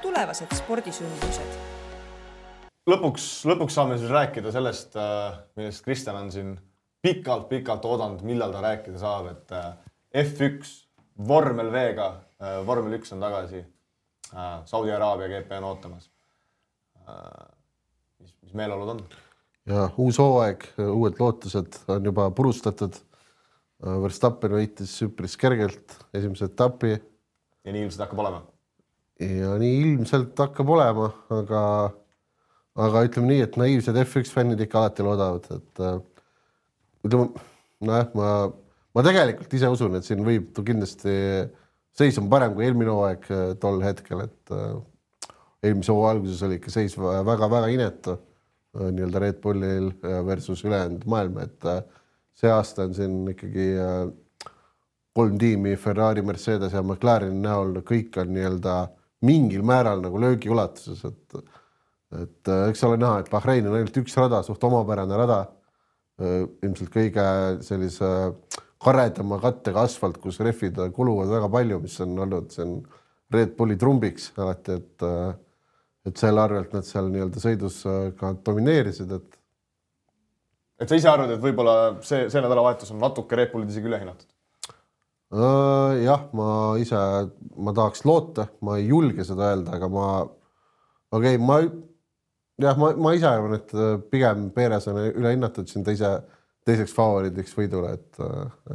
Tulevased spordisündmused. Lõpuks, lõpuks saame siis rääkida sellest, millest Kristjan on siin pikalt-pikalt oodanud, millal ta rääkida saab, et F üks vormel V-ga, vormel üks on tagasi, Saudi Araabia G P on ootamas. Mis, mis meeleolud on? Ja uus hooaeg, uued lootused on juba purustatud. Verstappen võitis üpris kergelt esimese etapi. Ja nii ilmselt hakkab olema? Ja nii ilmselt hakkab olema, aga aga ütleme nii, et naiivsed F üks fännid ikka alati loodavad, et ütleme, no jah, ma, ma tegelikult ise usun, et siin võib kindlasti seis on parem kui eelmine hooaeg tol hetkel, et eelmise hooaja alguses oli ikka seis väga-väga inetu nii-öelda Red Bullil versus ülejäänud maailma, et see aasta on siin ikkagi kolm tiimi, Ferrari, Mercedes ja McLareni näol, kõik on nii-öelda mingil määral nagu löögi ulatuses, et et eks ole näha, et Bahrein on ainult üks rada, suht omapärane rada, ilmselt kõige sellise karedama kattega asfalt, kus refid kuluvad väga palju, mis on olnud see on Red Bulli trumbiks alati, et, et selle arvelt nad seal nii-öelda sõidus ka domineerisid. Et... et sa ise arvad, et võib-olla see, see nädalavahetus on natuke Red Bullid isegi üle hinnatud? Jah, ma ise, ma tahaks loota, ma ei julge seda öelda, aga ma, okei, okay, ma jah, ma, ma ise arvan, et pigem Perez on üle hinnatud siin teise, teiseks favoriidiks võidule, et,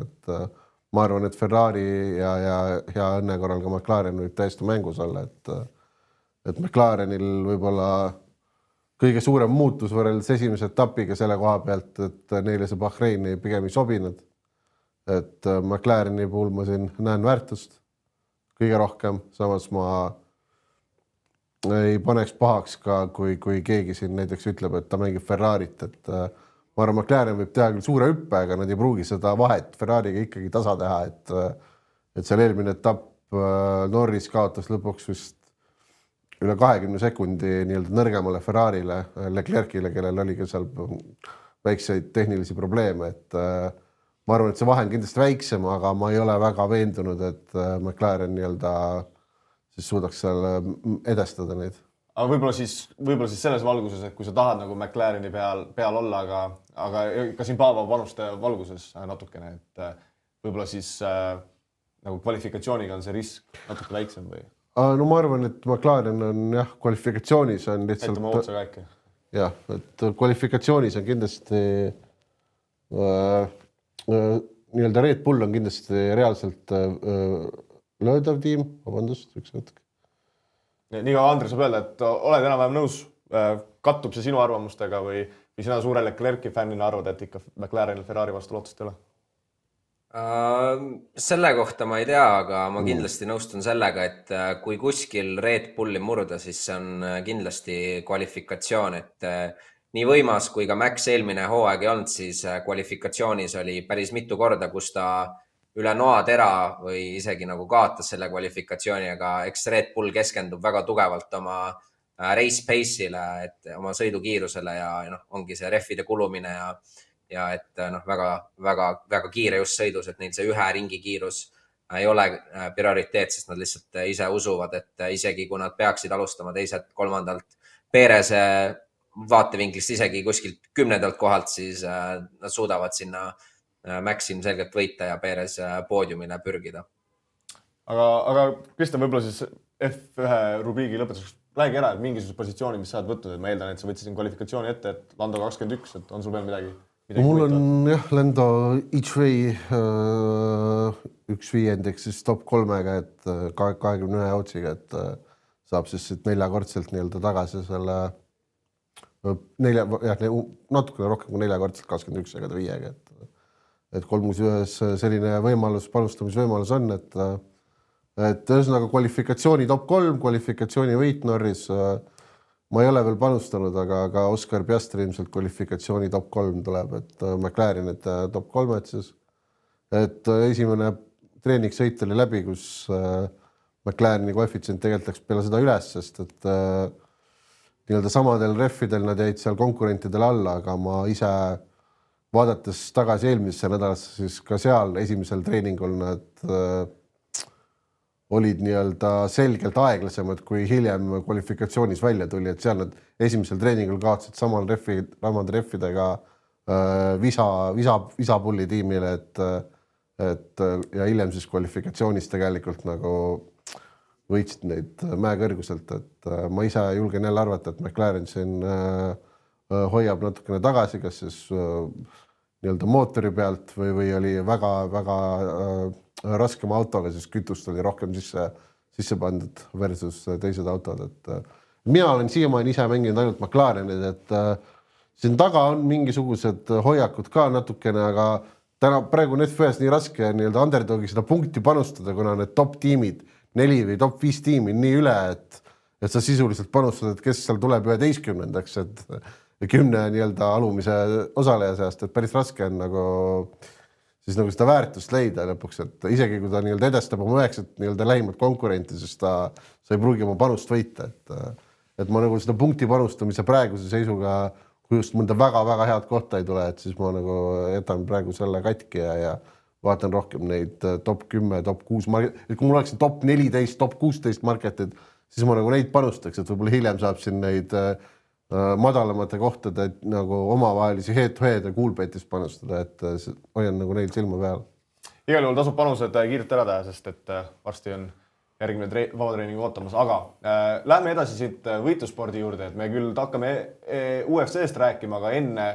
et ma arvan, et Ferrari ja, ja hea õnne korral ka McLaren võib täiesti mängus olla, et, et McLarenil võib-olla kõige suurem muutus võrreldes esimese etapiga selle koha pealt, et neile see Bahreini pigem ei sobinud. Et McLareni puhul ma siin näen väärtust kõige rohkem, samas ma ei paneks pahaks ka, kui, kui keegi siin näiteks ütleb, et ta mängib Ferrarit, et ma arvan, McLaren võib teha küll suure hüppe, aga nad ei pruugi seda vahet Ferrariga ikkagi tasa teha, et, et seal eelmine etapp Norris kaotas lõpuks vist üle kahekümne sekundi nii-öelda nõrgemale Ferrarile, Leclercile, kellel oli ka seal väikseid tehnilisi probleeme, et ma arvan, et see vahe on kindlasti väiksem, aga ma ei ole väga veendunud, et McLaren nii-öelda siis suudaks seal edestada neid. Aga võib-olla siis, võib-olla siis selles valguses, et kui sa tahad nagu McLareni peal, peal olla, aga, aga ka siin Paavo panuste valguses natukene, et võib-olla siis äh, nagu kvalifikatsiooniga on see risk natuke väiksem või? No ma arvan, et McLaren on jah, kvalifikatsioonis on lihtsalt... Ette ma otsa ka äkki. Jah, et kvalifikatsioonis on kindlasti äh, äh, nii-öelda Red Bull on kindlasti reaalselt äh, löödav tiim, vabandust, üks hetk. Nii ka Andres saab öelda, et oled enam-vähem nõus, kattub see sinu arvamustega või, või sina suure Leclerc'i fännina arvad, et ikka McLarenil Ferrari vastu lootust ei ole? Uh, selle kohta ma ei tea, aga ma kindlasti nõustun sellega, et kui kuskil Red Bulli murda, siis see on kindlasti kvalifikatsioon, et nii võimas kui ka Max eelmine hooaeg ei olnud, siis kvalifikatsioonis oli päris mitu korda, kus ta üle noatera või isegi nagu kaotas selle kvalifikatsiooni, aga eks Red Bull keskendub väga tugevalt oma race pace'ile, et oma sõidukiirusele ja no, ongi see reffide kulumine ja, ja et noh, väga, väga, väga kiire just sõidus, et neil see ühe ringi kiirus ei ole prioriteet, sest nad lihtsalt ise usuvad, et isegi kui nad peaksid alustama teised kolmandalt Perese vaatevinklist isegi kuskilt kümnendalt kohalt, siis nad suudavad sinna Maxim selgelt võita ja Perez poodiumile pürgida. Aga, aga Kristjan, võib-olla siis F ühe rubriigi lõpetuseks räägi ära, et mingisuguse positsiooni, mis sa oled võtnud, et ma eeldan, et sa võtsid kvalifikatsiooni ette, et Lando kakskümmend üks, et on sul veel midagi? midagi Mul on võitavad? Jah, Lando each way uh, üks viiendik siis top kolmega, et kahekümne ühe otsiga, et uh, saab siis neljakordselt nii-öelda tagasi selle nelja, jah, natukene rohkem kui neljakordselt kakskümmend üks ega viiega, et et kolmus ühes selline võimalus, panustamisvõimalus on, et et ühesõnaga kvalifikatsiooni top kolm, kvalifikatsiooni võit Norris, ma ei ole veel panustanud, aga, aga Oscar Piastri ilmselt kvalifikatsiooni top kolm tuleb, et McLaren, et top kolm, et siis et esimene treeningsõit oli läbi, kus äh, McLareni koefitsient tegelikult läks peale seda üles, sest et äh, nii-öelda samadel reffidel nad jäid seal konkurentidele alla, aga ma ise vaadates tagasi eelmisesse nädalasse, siis ka seal esimesel treeningul nad äh, olid nii-öelda selgelt aeglasemad, kui hiljem kvalifikatsioonis välja tuli, et seal nad esimesel treeningul kaotasid samal reffi, samade reffidega äh, visa, visa, visapulli tiimile, et, et ja hiljem siis kvalifikatsioonis tegelikult nagu võitsid neid mäekõrguselt, et äh, ma ise julgen jälle arvata, et McLaren siin äh, hoiab natukene tagasi, kas siis äh, nii-öelda mootori pealt või, või oli väga-väga äh, raskema autoga, siis kütust oli rohkem sisse, sisse pandud versus teised autod, et äh, mina olen siiamaani ise mänginud ainult McLarenid, et äh, siin taga on mingisugused hoiakud ka natukene, aga täna praegu on F ühes nii raske nii-öelda underdogi seda punkti panustada, kuna need top tiimid, neli või top viis tiimi nii üle, et, et sa sisuliselt panustad, et kes seal tuleb üheteistkümnendaks, et kümne nii-öelda alumise osaleja seast, et päris raske on nagu siis nagu seda väärtust leida lõpuks, et isegi kui ta nii-öelda edestab oma üheksat nii-öelda lähimat konkurenti, siis ta, sa ei pruugi oma panust võita, et, et ma nagu seda punkti panustamise praeguse seisuga, kui just mõnda väga-väga head kohta ei tule, et siis ma nagu jätan praegu selle katki ja, ja vaatan rohkem neid top kümme, top kuus market, et kui mul oleks top neliteist, top kuusteist marketid, siis ma nagu neid panustaks, et võib-olla hiljem saab siin neid madalamate kohtade nagu omavahelisi head-to-head ja coolbet'is panustada, et hoian nagu neil silma peal. Igal juhul tasub panused kiirelt ära teha, sest et varsti on järgmine tre- vabatreining ootamas, aga äh, lähme edasi siit võitluspordi juurde, et me küll hakkame U F C-st rääkima, aga enne,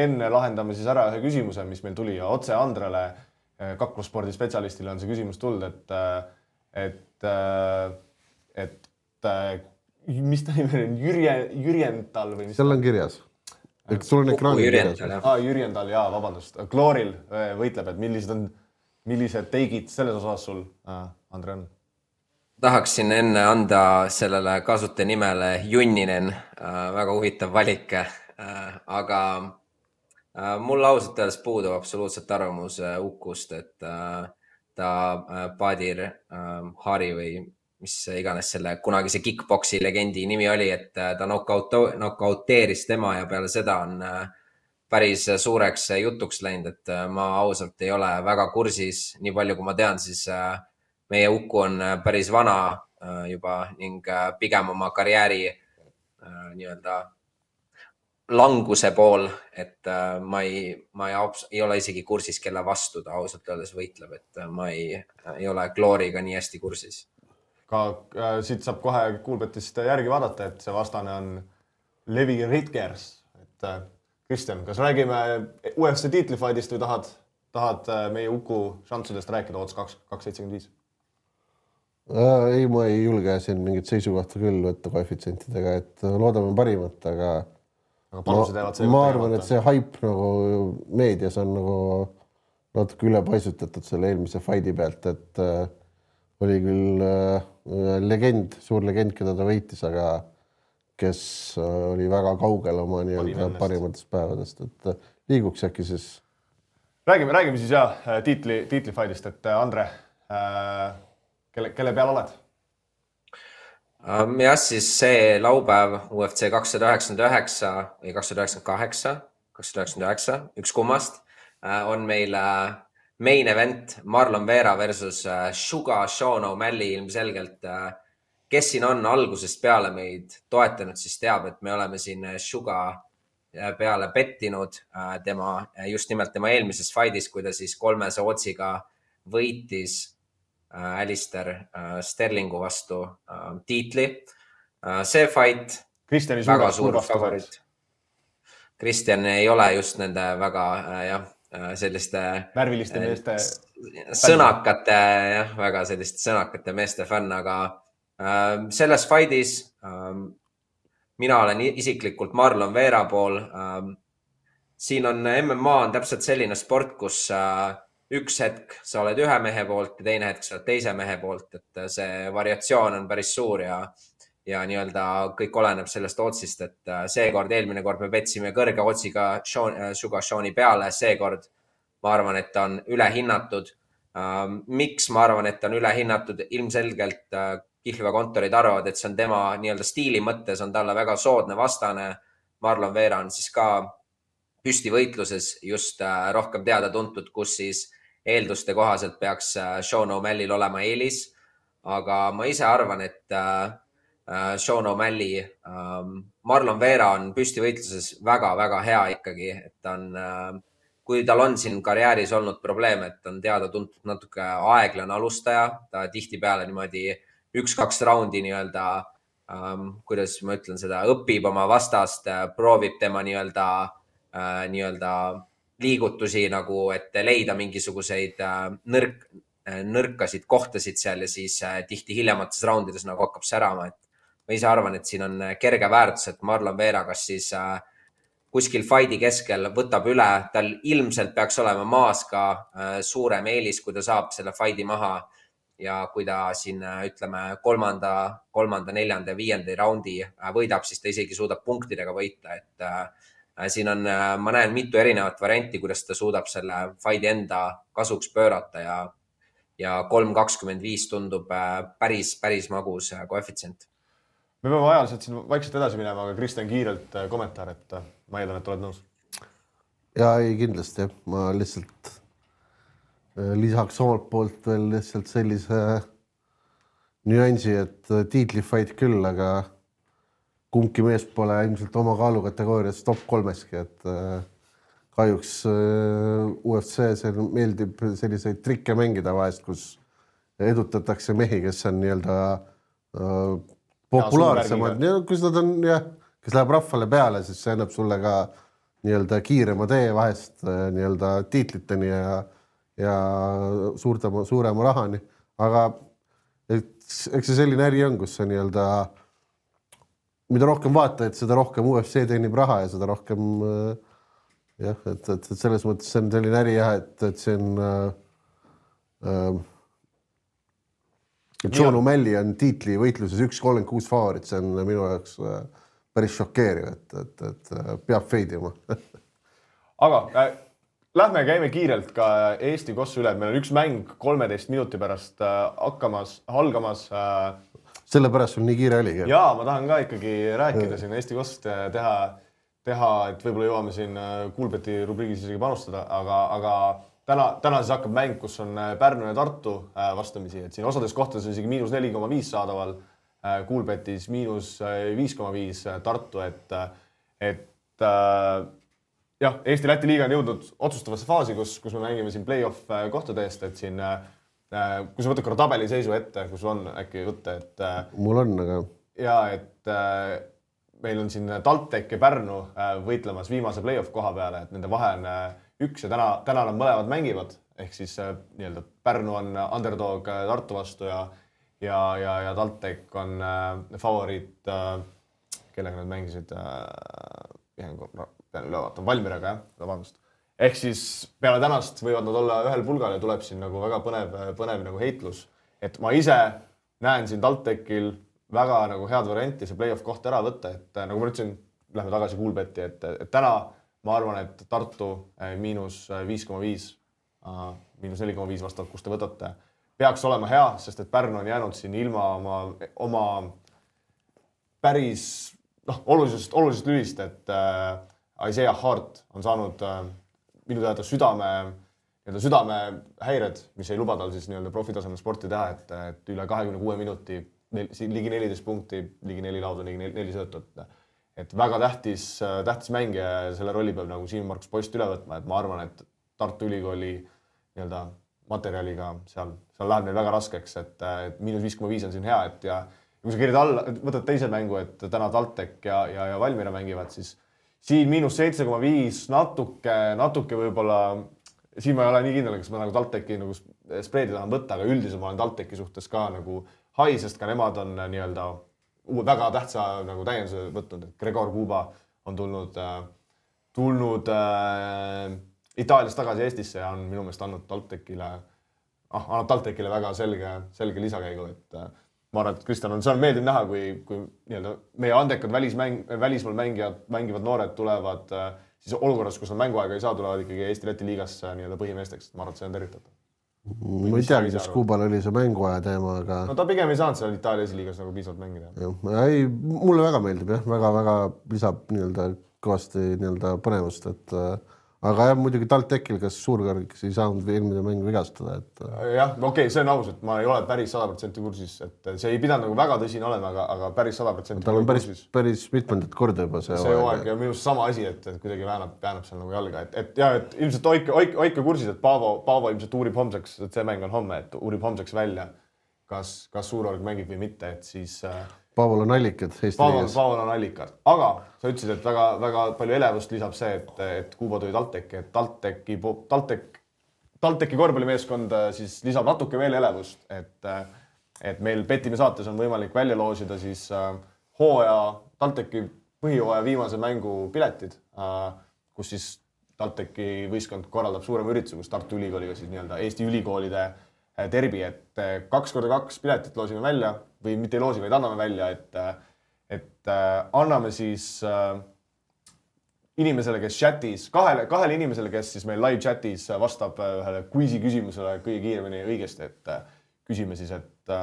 enne lahendame siis ära ühe küsimuse, mis meil tuli ja otse Andrele, kaklusspordi spetsialistile on see küsimus tulnud, et, et, et, et mis ta nimi on? Jürjen, Jürjental või mis? Seal on kirjas. Sul on ekraani kirjas. Ah, Jürjental, jaa, vabandust. Klooril võitleb, et millised on, millised teigid selles osas sul, Andre, on? Tahaksin enne anda sellele kasutaja nimele Junninen. Väga huvitav valik, aga mul ausalt öeldes puudub absoluutselt arvamus Ukust, et ta Badir Hari või mis iganes selle kunagise kickboksi legendi nimi oli, et ta knockouteeris tema ja peale seda on päris suureks jutuks läinud, et ma ausalt ei ole väga kursis, nii palju kui ma tean, siis meie Uku on päris vana juba ning pigem oma karjääri nii-öelda languse pool, et ma, ei, ma ei, ei ole isegi kursis, kelle vastu ta ausalt öeldes võitleb, et ma ei, ei ole Glooriga nii hästi kursis. Ka äh, siit saab kohe Coolbetist järgi vaadata, et see vastane on Levi Ritkers. Et äh, Kristjan, kas räägime U F C tiitlifaidist või tahad, tahad äh, meie Uku šansudest rääkida ots kaks seitsekümmend viis? Äh, ei, ma ei julge siin mingit seisukohta küll võtta koefitsientidega, et loodame parimat, aga, aga ma, ma arvan, et see hype nagu meedias on nagu natuke üle paisutatud selle eelmise faidi pealt, et äh, oli küll äh, legend, suur legend, keda ta võitis, aga kes äh, oli väga kaugel oma nii-öelda parimatest päevadest, et äh, liiguks äkki siis. Räägime, räägime siis jah tiitli, tiitlifaidist, et Andre, äh, kelle, kelle peal oled? Um, jah, siis see laupäev U F C kakssada üheksakümmend üheksa või kakssada üheksakümmend kaheksa, kakssada üheksakümmend üheksa, üks kummast, äh, on meil äh, main event Marlon Vera versus Sugar Sean O'Malley ilmselgelt. Kes siin on algusest peale meid toetanud, siis teab, et me oleme siin Sugar peale pettinud tema, just nimelt tema eelmises faidis, kui ta siis kolmese otsiga võitis Alistair Sterlingu vastu tiitli. See fight Kristjani väga suur favorit. Kristjan ei ole just nende väga, jah, selliste värviliste meeste sõnakate, jah, väga selliste sõnakate meeste fänn, aga äh, selles faidis äh, mina olen isiklikult Marlon Vera pool. Äh, siin on M M A on täpselt selline sport, kus äh, üks hetk sa oled ühe mehe poolt ja teine hetk sa oled teise mehe poolt, et see variatsioon on päris suur ja ja nii-öelda kõik oleneb sellest otsist, et seekord eelmine kord me petsime kõrge otsiga Sean, Sugar Seani peale, seekord ma arvan, et ta on ülehinnatud. Miks ma arvan, et ta on ülehinnatud? Ilmselgelt Kihlve kontorid arvavad, et see on tema nii-öelda stiili mõttes, on talle väga soodne vastane. Marlon Vera on siis ka püstivõitluses just rohkem teada tuntud, kus siis eelduste kohaselt peaks Sean O'Malley'l olema eelis. Aga ma ise arvan, et Sean O'Malley, Marlon Vera on püstivõitluses väga-väga hea ikkagi, et ta on, kui tal on siin karjääris olnud probleem, et on teada tuntud natuke aeglane alustaja, ta tihti peale niimoodi üks-kaks raundi nii-öelda, kuidas ma ütlen seda, õpib oma vastast, proovib tema nii-öelda, nii-öelda liigutusi nagu, et leida mingisuguseid nõrk, nõrkasid kohtasid seal ja siis tihti hiljemates raundides nagu hakkab särama, et ma ise arvan, et siin on kerge väärtus, et Marlon Vera kas siis kuskil fighti keskel võtab üle, tal ilmselt peaks olema maas ka suurem eelis, kui ta saab selle fighti maha ja kui ta siin ütleme kolmanda, kolmanda, neljanda ja viienda raundi võidab, siis ta isegi suudab punktidega võita, et siin on, ma näen mitu erinevat varianti, kuidas ta suudab selle fighti enda kasuks pöörata ja ja kolm kakskümmend viis tundub päris, päris magus koefitsient. Me peame ajaliselt siin vaikselt edasi minema, aga Kristjan kiirelt kommentaar, et ma eeldan, et oled nõus. Ja ei, kindlasti. Ma lihtsalt lisaks omalt poolt veel lihtsalt sellise nüansi, et tiitlifight küll, aga kumbki mees pole ilmselt oma kaalukategoorias top kolmeski, et kahjuks U F C see meeldib selliseid trikke mängida vahest, kus edutatakse mehi, kes on nii-öelda populaarsemad, kus nad on, jah, kes läheb rahvale peale, siis see annab sulle ka nii-öelda kiirema tee vahest nii-öelda tiitliteni ja, ja suurtama, suurema rahani. Aga eks see selline äri on, kus see nii-öelda, mida rohkem vaatajaid, seda rohkem U F C teenib raha ja seda rohkem jah, et, et, et selles mõttes see on selline äri jah, et, et see on äh, Sean O'Malley on tiitli võitluses üks kolmkümmend kuus favoorit, see on minu jaoks äh, päris šokeeriv, et, et, et peab feidima. Aga äh, lähme käime kiirelt ka Eesti kossu üle, et meil on üks mäng kolmeteist minuti pärast äh, hakkamas, algamas. Äh, Sellepärast on nii kiire oligi. Jaa, ma tahan ka ikkagi rääkida siin Eesti kossust teha teha, et võib-olla jõuame siin Kuulbeti rubriigis isegi panustada, aga, aga täna, täna siis hakkab mäng, kus on Pärnu ja Tartu vastamisi, et siin osades kohtades on isegi miinus neli koma viis saadaval, Kuulbetis miinus viis koma viis Tartu, et, et jah, Eesti-Läti liiga on jõudnud otsustavasse faasi, kus, kus me mängime siin play-off kohtade eest, et siin, kui sa võtad korra tabeliseisu ette, kus on äkki võtta, et mul on, aga ja, et meil on siin TalTech ja Pärnu võitlemas viimase play-off koha peale, et nende vahe on üks ja täna, täna nad mõlemad mängivad, ehk siis nii-öelda Pärnu on underdog Tartu vastu ja, ja, ja, ja TalTech on favoriit, kellega nad mängisid, pean üle vaatama, Valmiraga, jah, vabandust. Ehk siis peale tänast võivad nad olla ühel pulgal ja tuleb siin nagu väga põnev, põnev nagu heitlus, et ma ise näen siin TalTechil väga nagu head varianti see play-off koht ära võtta, et nagu ma ütlesin, lähme tagasi Kuulbeti, et, et täna ma arvan, et Tartu miinus viis koma viis, miinus neli koma viis vastavalt, kus te võtate, peaks olema hea, sest et Pärnu on jäänud siin ilma oma, oma päris noh, olulisest, olulisest lülist, et äh, Isaiah Hart on saanud äh, minu teada südame, südame häired, mis ei luba tal siis nii-öelda profitasemel sporti teha, et, et üle kahekümne kuue minuti ligi neliteist punkti, ligi neli lauda, ligi neli söötot. Et väga tähtis, tähtis mäng ja selle rolli peab nagu Siim-Markus Post üle võtma, et ma arvan, et Tartu Ülikooli nii-öelda materjaliga seal, seal läheb neil väga raskeks, et, et miinus viis koma viis on siin hea, et ja kui sa kirjad alla, võtad teise mängu, et täna TalTech ja, ja, ja Valmiera mängivad, siis siin miinus seitse koma viis natuke, natuke võib-olla, siin ma ei ole nii kindel, kas ma nagu TalTechi nagu spreedi tahan võtta, aga üldiselt ma olen TalTechi suhtes ka nagu hai, sest ka nemad on nii-öelda väga tähtsa nagu täienduse võtnud, et Gregor Kuba on tulnud, tulnud äh, Itaaliast tagasi Eestisse ja on minu meelest andnud TalTechile, ah, annab TalTechile väga selge, selge lisakäigu, et äh, ma arvan, et Kristjan on, see on meeldiv näha, kui, kui nii-öelda meie andekad välismäng, välismaal mängijad, mängivad noored tulevad äh, siis olukorras, kus nad mänguaega ei saa, tulevad ikkagi Eesti-Läti liigasse nii-öelda põhimeesteks. Ma arvan, et see on tervitatav. Ma ei tea, kas Kuubal oli see mänguaja teema, aga... No ta pigem ei saanud seal Itaalia esiliigas nagu piisavalt mängida. Ei, mulle väga meeldib, jah. Väga-väga lisab nii-öelda kõvasti nii-öelda põnevust, et aga jah, muidugi TalTechil, kes suurkõrgiks ei saanud eelmine mäng vigastada. Et... jah, okei, okay, see on aus, et ma ei ole päris sada protsenti kursis, et see ei pidanud nagu väga tõsine olema, aga, aga päris sada protsenti tal on päris, päris mitmendat korda juba see, see aeg. Ja minust sama asi, et, et kuidagi väänab, väänab seal nagu jalga. Et, et, ja, et ilmselt hoike, hoike, hoike kursis, et Paavo, Paavo ilmselt uurib homseks, et see mäng on homme, et uurib homseks välja, kas, kas suurorg mängib või mitte, et siis... Paaval on allikad Eesti Paaval, Paaval on allikad. Aga sa ütlesid, et väga, väga palju elevust lisab see, et, et Kuuba tuli TalTechi, et TalTechi, TalTech, TalTechi korvpallimeeskond siis lisab natuke veel elevust, et, et meil Petime saates on võimalik välja loosida siis hooaja, TalTechi põhihooaja viimase mängu piletid, kus siis TalTechi võistkond korraldab suurema ürituse, kus Tartu Ülikooliga siis nii-öelda Eesti ülikoolide derbi, et kaks korda kaks piletit loosime välja või mitte ei loosi, vaid anname välja, et, et anname siis inimesele, kes chatis, kahele, kahele inimesele, kes siis meil live chatis vastab ühele quizi küsimusele kõige kiiremini õigesti, et küsime siis, et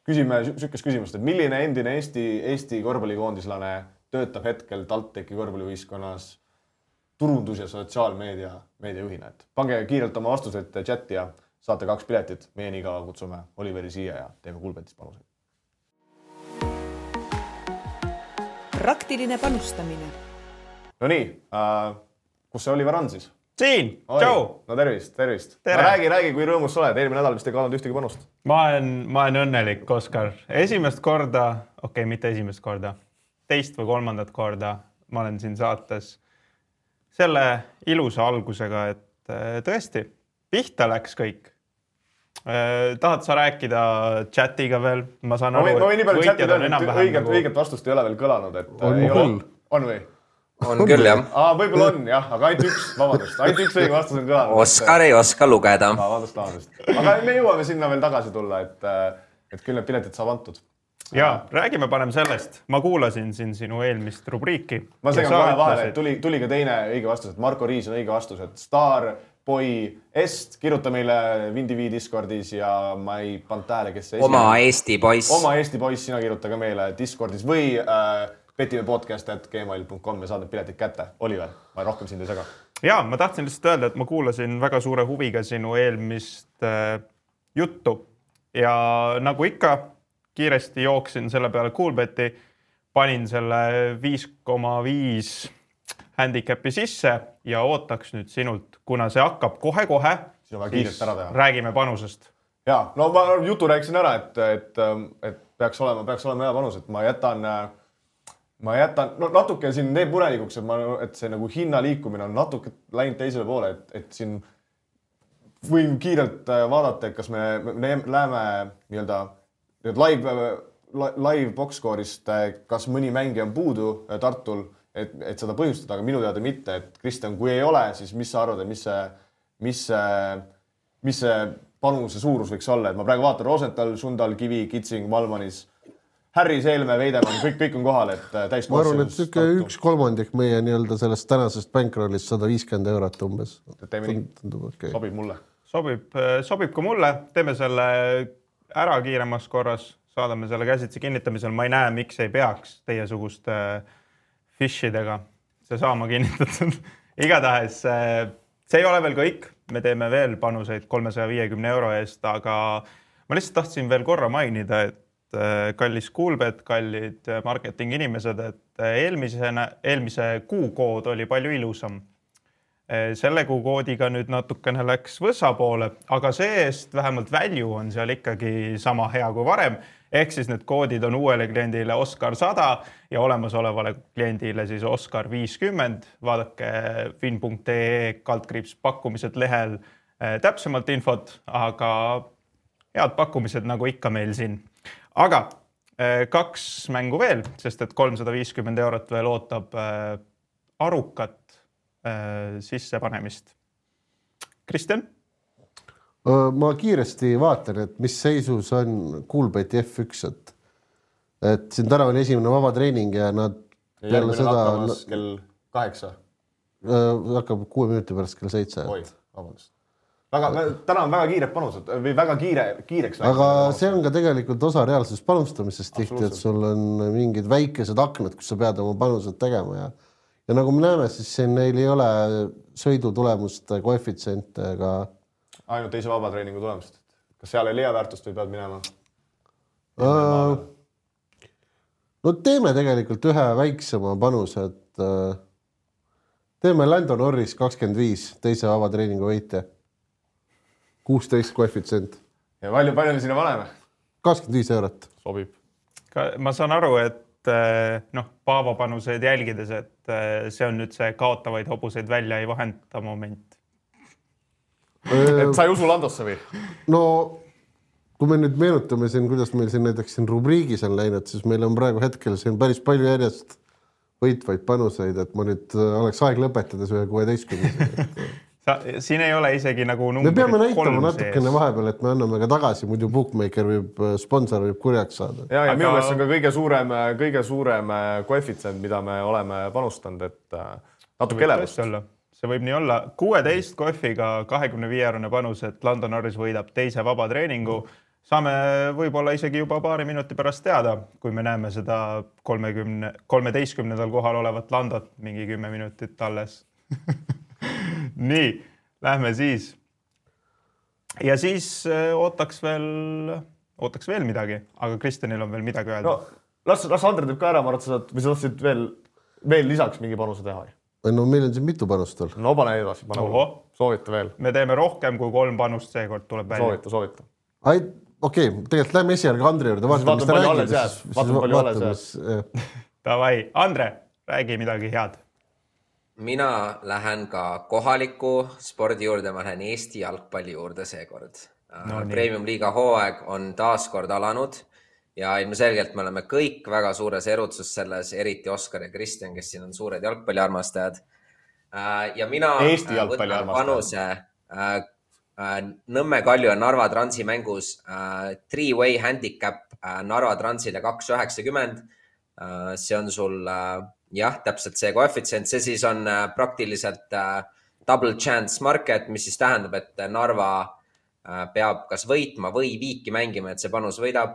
küsime sükest küsimust, et milline endine Eesti, Eesti korvpallikoondislane töötab hetkel TalTechi korvpallivõistkonnas turundus- ja sotsiaalmeedia meediajuhina, et pange kiirelt oma vastused chati ja saate kaks piletit, meie nii kaua kutsume Oliveri siia ja teeme Kuulbetist panuseid. Praktiline panustamine. No nii, äh, kus see Oliver on siis? Siin, tšau! No tervist, tervist. No räägi, räägi, kui rõõmus sa oled. Eelmine nädal vist ei kaanud ühtegi panust. Ma olen, ma olen õnnelik, Oskar. Esimest korda, okei, okay, mitte esimest korda, teist või kolmandat korda ma olen siin saates selle ilusa algusega, et tõesti, pihta läks kõik. Tahad sa rääkida chatiga veel? Ma saan aru, ma võin nii palju chatida, et õiget, nagu... õiget vastust ei ole veel kõlanud. Et on, ei ole... on või? On küll, jah. Aa, võib-olla on, jah, aga ainult üks, vabandust, ainult üks õige vastus on kõlanud. Oskar ei oska lugeda. Aa, vabandust, vabandust. Aga me jõuame sinna veel tagasi tulla, et, et küll need piletid saab antud. Ja, räägime parem sellest. Ma kuulasin siin sinu eelmist rubriiki. Ma segan kohe vahele, et tuli, tuli ka teine õige vastus, et Marko Riis on õige vastus, et Star Boy Est, kirjuta meile Vindivi Discordis ja ma ei pannud tähele, kes see oma esimene. Eesti poiss. Oma Eesti poiss, sina kirjuta ka meile Discordis või äh, petime podcast at gmail dot com ja saad need piletid kätte. Oliver, ma rohkem sind ei sega. Ja, ma tahtsin lihtsalt öelda, et ma kuulasin väga suure huviga sinu eelmist äh, juttu ja nagu ikka kiiresti jooksin selle peale Kuulbeti, panin selle viis koma viis handicapi sisse ja ootaks nüüd sinult, kuna see hakkab kohe-kohe, siis räägime panusest. Ja, no ma jutu rääksin ära, et, et, et peaks olema, peaks olema hea panus, et ma jätan, ma jätan, no natuke siin teeb murelikuks, et, ma, et see nagu hinna liikumine on natuke läinud teisele poole, et, et siin võin kiirelt vaadata, et kas me, me läheme nii-öelda live, live boxscore'ist, kas mõni mängija on puudu Tartul, et, et seda põhjustada, aga minu teada mitte, et Kristjan, kui ei ole, siis mis sa arvad, mis see, mis see, mis see panuse suurus võiks olla, et ma praegu vaatan Rosenthal, Sundal, Kivi, Kitsing, Malmanis, Harri, Seelme, Veidemann, kõik, kõik on kohal, et täis ma arvan, et süke üks kolmandik meie nii-öelda sellest tänasest bankrollist sada viiskümmend eurot umbes. Teeme nii, okay. Sobib mulle. Sobib, sobib ka mulle, teeme selle ära kiiremas korras, saadame selle käsitsi kinnitamisel, ma ei näe, miks ei peaks teiesuguste fishidega see saama kinnitatud. Igatahes see ei ole veel kõik, me teeme veel panuseid kolmesaja viiekümne euro eest, aga ma lihtsalt tahtsin veel korra mainida, et kallis Kuulbet, kallid marketing inimesed, et eelmise, eelmise kuu kood oli palju ilusam. Selle kuu koodiga nüüd natukene läks võssa poole, aga see-eest vähemalt value on seal ikkagi sama hea kui varem. Ehk siis need koodid on uuele kliendile Oskar sada ja olemasolevale kliendile siis Oskar viiskümmend. Vaadake fin punkt ee kaldkriips pakkumised lehel täpsemalt infot, aga head pakkumised nagu ikka meil siin. Aga kaks mängu veel, sest et kolmsada viiskümmend eurot veel ootab arukat sissepanemist. Kristjan? Ma kiiresti vaatan, et mis seisus on Kuulbeti F üks, et, et siin täna on esimene vaba treening ja nad ja peale seda... kell kaheksa. hakkab kuue minuti pärast kell seitse. Oi, vabandust. Väga, täna on väga kiired panused või väga kiire, kiireks. Aga see on ka tegelikult osa reaalsest panustamisest tihti, et sul on mingid väikesed aknad, kus sa pead oma panused tegema ja, ja nagu me näeme, siis siin neil ei ole sõidutulemuste koefitsiente ega ainult teise vabatreeningu tulemust. Kas seal ei leia väärtust või pead minema? Uh, no teeme tegelikult ühe väiksema panuse, et uh, teeme Lando Norris kakskümmend viis teise vabatreeningu võitja. kuusteist koefitsient. Ja palju, palju me sinna paneme? kakskümmend viis eurot. Sobib. Ma saan aru, et noh, Paavo panuseid jälgides, et see on nüüd see kaotavaid hobuseid välja ei vahenda moment. Et sa ei usu Landosse või? No, kui me nüüd meenutame siin, kuidas meil siin näiteks siin rubriigis on läinud, siis meil on praegu hetkel siin päris palju järjest võitvaid panuseid, et ma nüüd oleks aeg lõpetades ühe kuueteistkümne. Sa, siin ei ole isegi nagu me peame näitama natukene vahepeal, et me anname ka tagasi, muidu bookmaker võib, sponsor võib kurjaks saada. Ja, ja Aga... minu meelest on ka kõige suurem, kõige suurem koefitsient, mida me oleme panustanud, et natuke elevust. See võib nii olla. kuueteist kohviga kahekümne viie eurone panus, et Lando Norris võidab teise vabatreeningu. Saame võib-olla isegi juba paari minuti pärast teada, kui me näeme seda kolmekümne, kolmeteistkümnendal kohal olevat Landot mingi kümme minutit alles. Nii, lähme siis. Ja siis ootaks veel, ootaks veel midagi, aga Kristjanil on veel midagi öelda. No, las, las Andre teeb ka ära, ma arvan, et sa saad, või sa tahtsid veel, veel lisaks mingi panuse teha. No meil on siin mitu panust veel. No pane edasi, pane soovita veel. Me teeme rohkem kui kolm panust, seekord tuleb välja. Soovita, soovita. Ai, okei, okay, tegelikult lähme esialga Andre juurde. Vaatame, mis ta räägib. Vaatame, palju alles jääb. Davai, Andre, räägi midagi head. Mina lähen ka kohaliku spordi juurde, ma lähen Eesti jalgpalli juurde seekord. No, Premium liiga hooaeg on taas kord alanud ja ilmselgelt me oleme kõik väga suures erutsus selles, eriti Oskar ja Kristjan, kes siin on suured jalgpalliarmastajad. Ja mina Eesti võtan panuse Nõmme Kalju ja Narva Transi mängus three-way handicap Narva Transile kaks üheksakümmend. See on sul... Jah, täpselt see koefitsient, see siis on praktiliselt double chance market, mis siis tähendab, et Narva peab kas võitma või viiki mängima, et see panus võidab.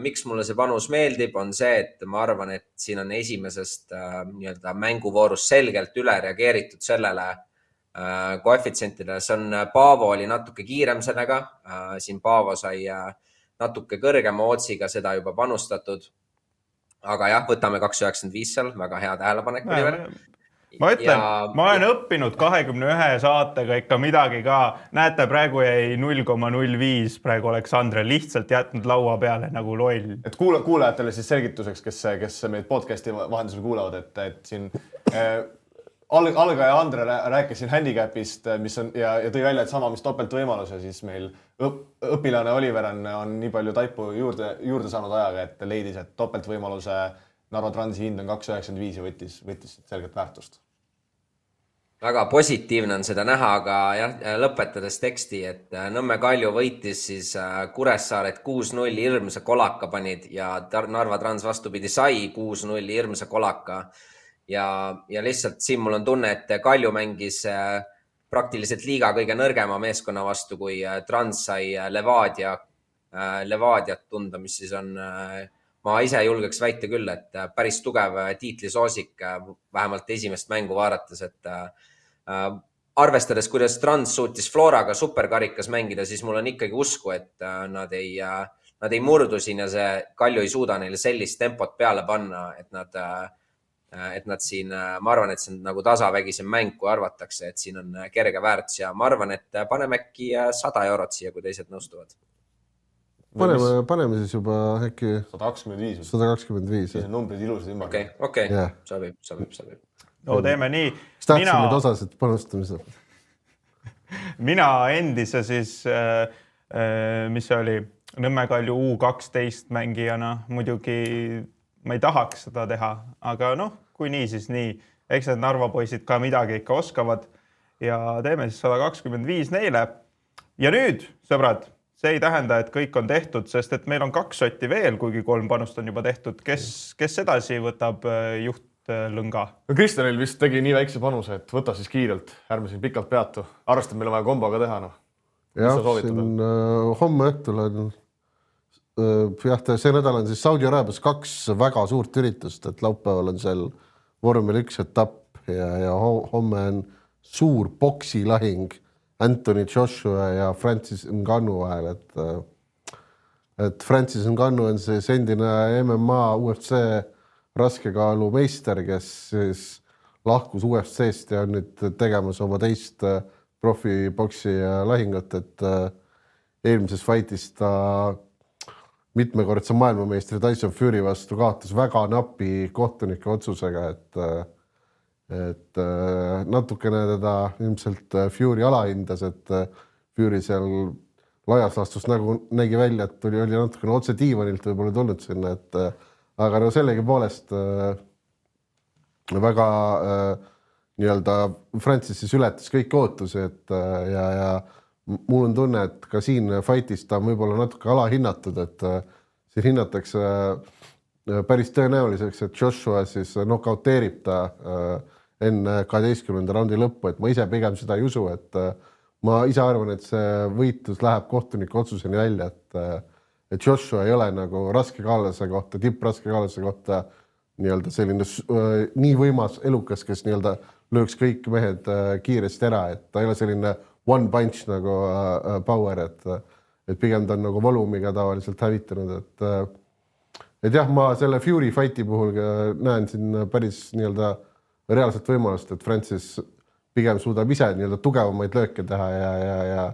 Miks mulle see panus meeldib, on see, et ma arvan, et siin on esimesest nii-öelda mänguvoorust selgelt üle reageeritud sellele koefitsientidele. See on, Paavo oli natuke kiirem sellega, siin Paavo sai natuke kõrgema ootsiga seda juba panustatud. Aga jah, võtame kaks üheksakümmend viis seal, väga hea tähelepanek. Ma ütlen, ja... ma olen õppinud kahekümne ühe saatega ikka midagi ka. Näete, praegu jäi null koma null viis, praegu oleks Andre lihtsalt jätnud laua peale nagu loll. Et kuula, kuulajatele siis selgituseks, kes, kes meid podcasti vahendusel kuulavad, et, et siin äh, algaja Andre rääkis siin handicapist, mis on ja, ja tõi välja, et sama, mis topelt võimalus ja siis meil õp, õpilane Oliver on, on nii palju taipu juurde, juurde saanud ajaga, et leidis, et topelt võimaluse Narva Transi hind on kaks üheksakümmend viis ja võttis, võttis selgelt väärtust. Väga positiivne on seda näha, aga jah, lõpetades teksti, et Nõmme Kalju võitis siis Kuressaaret kuus null hirmsa kolaka panid ja Narva Trans vastupidi sai kuus null hirmsa kolaka. Ja, ja lihtsalt siin mul on tunne, et Kalju mängis praktiliselt liiga kõige nõrgema meeskonna vastu, kui Trans sai Levadia, Levadiat tunda, mis siis on, ma ise julgeks väita küll, et päris tugev tiitlisoosik, vähemalt esimest mängu vaadates, et arvestades, kuidas Trans suutis Floraga superkarikas mängida, siis mul on ikkagi usku, et nad ei, nad ei murdu siin ja see Kalju ei suuda neile sellist tempot peale panna, et nad et nad siin, ma arvan, et see on nagu tasavägisem mäng, kui arvatakse, et siin on kerge väärtus ja ma arvan, et paneme äkki sada eurot siia, kui teised nõustuvad. Paneme, paneme siis juba äkki sada kakskümmend viis. sada kakskümmend viis. Siis on numbrid ilusad ümber. Okei, okei, yeah. sobib, sobib, sobib. No teeme nii. Kas tahtsin mina... nüüd osasid panustamisel? Mina endise siis, mis oli Nõmme Kalju U kaksteist mängijana, muidugi ma ei tahaks seda teha, aga noh, kui nii, siis nii. Eks need Narva poisid ka midagi ikka oskavad ja teeme siis sada kakskümmend viis neile. Ja nüüd, sõbrad, see ei tähenda, et kõik on tehtud, sest et meil on kaks sotti veel, kuigi kolm panust on juba tehtud. Kes, kes edasi võtab juht, lõnga. No Kristjanil vist tegi nii väikse panuse, et võta siis kiirelt, ärme siin pikalt peatu. Arvestab, meil on vaja kombo ka teha. No. Jah, siin äh, homme õhtul on äh, jah, see nädal on siis Saudi Araabias kaks väga suurt üritust, et laupäeval on seal vormel üks etapp ja, ja homme on suur poksilahing Anthony Joshua ja Francis Ngannou vahel, et, et Francis Ngannou on siis endine M M A U F C raskekaalu meister, kes siis lahkus U F C-st ja on nüüd tegemas oma teist profiboksi lahingut, et eelmises fightis ta mitmekordse maailmameistri Tyson Fury vastu kaotas väga napi kohtunike otsusega, et et natukene teda ilmselt Fury alahindas, et Fury seal laias laastus nagu nägi välja, et oli, oli natukene otse diivanilt võib-olla tulnud sinna, et aga no sellegi poolest äh, väga äh, nii-öelda Francis siis ületas kõik ootusi, et äh, ja, ja mul on tunne, et ka siin fightis ta on võib-olla natuke alahinnatud, et äh, siin hinnatakse äh, päris tõenäoliseks, et Joshua siis nokauteerib ta äh, enne kaheteistkümnenda raundi lõppu, et ma ise pigem seda ei usu, et äh, ma ise arvan, et see võitlus läheb kohtuniku otsuseni välja, et äh, et Joshua ei ole nagu raskekaalase kohta, tippraskekaalase kohta nii-öelda selline äh, nii võimas elukas, kes nii-öelda lööks kõik mehed äh, kiiresti ära, et ta ei ole selline one punch nagu äh, power, et, et pigem ta on nagu volumiga tavaliselt hävitanud, et äh, et jah, ma selle Fury fighti puhul näen siin päris nii-öelda reaalset võimalust, et Francis pigem suudab ise nii-öelda tugevamaid lööke teha ja, ja, ja,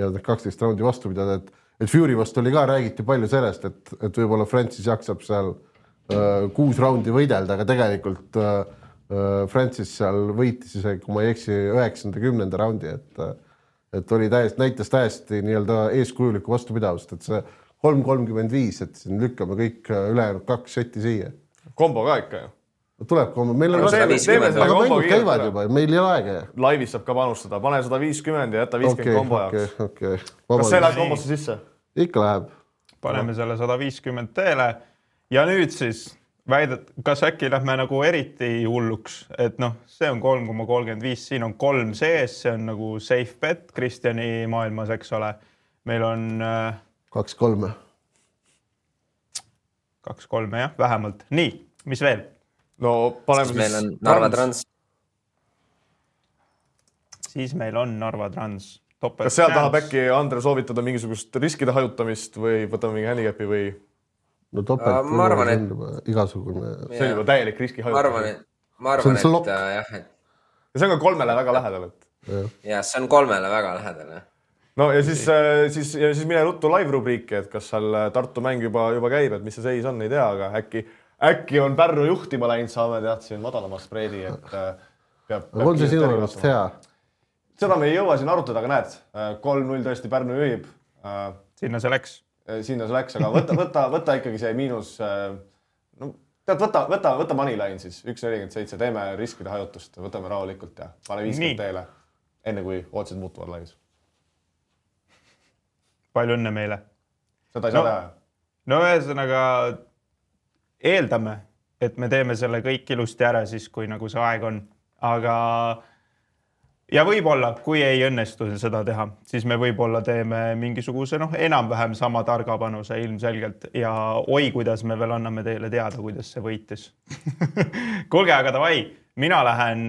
ja kaksteist raundi vastu pidada, et et Fury vastu oli ka, räägiti palju sellest, et, et võib-olla Francis jaksab seal äh, kuus raundi võidelda, aga tegelikult äh, Francis seal võitis isegi, kui ma ei eksi, üheksanda kümnenda raundi, et, et oli täiesti, näitas täiesti nii-öelda eeskujulikku vastupidavust, et see kolm kolmkümmend viis, et siin lükkame kõik ülejäänud kaks setti siia. Kombo ka ikka ju. Tuleb kombo, meil on aga mängud käivad juba, meil ei ole aega. Laivis saab ka panustada, pane sada viiskümmend ja jäta viiskümmend okay, kombo jaoks. Okay, okay. Kas see läheb kombosse sisse? Ikka läheb. Paneme selle sada viiskümmend teele ja nüüd siis väidet, kas äkki lähme nagu eriti hulluks, et noh, see on kolm koma kolmkümmend viis, siin on kolm sees, see on nagu safe bet Kristjani maailmas, eks ole. Meil on kaks kolme. Kaks kolme, jah, vähemalt. Nii, mis veel? No paneme siis meil on Narva Trans. Siis meil on Narva Trans. Topel kas seal tahab äkki Andre soovitada mingisugust riskide hajutamist või võtame mingi handicapi või? No topelt uh, ma arvan, et igasugune. See on juba täielik riski hajutamist. Ma arvan, et, ma arvan, et, et jah, et... Ja see on ka kolmele väga lähedal, et... Ja, ja see on kolmele väga lähedal, jah. No ja siis, siis, ja siis mine ruttu live-rubriiki, et kas seal Tartu mäng juba, juba käib, et mis see seis on, ei tea, aga äkki Äkki on Pärnu juhtima läinud, saame tead siin madalama spreedi, et peab... peab on see sinu arvast hea? Seda me ei jõua siin arutada, aga näed, kolm null tõesti Pärnu juhib. Sinna see läks. Sinna see läks, aga võta, võta, võta ikkagi see miinus... No, tead, võta, võta, võta Moneyline siis, üks nelikümmend seitse, teeme riskide hajutust, võtame rahulikult ja pane viiskümmend teele, enne kui ootused muutuvad laivis. Palju õnne meile. Seda ei saa no, teha. No ühesõnaga... Eeldame, et me teeme selle kõik ilusti ära siis, kui nagu see aeg on. Aga ja võib-olla, kui ei õnnestu seda teha, siis me võib-olla teeme mingisuguse noh, enam-vähem sama targa panuse ilmselgelt ja oi, kuidas me veel anname teile teada, kuidas see võitis. Kuulge, aga davai, mina lähen,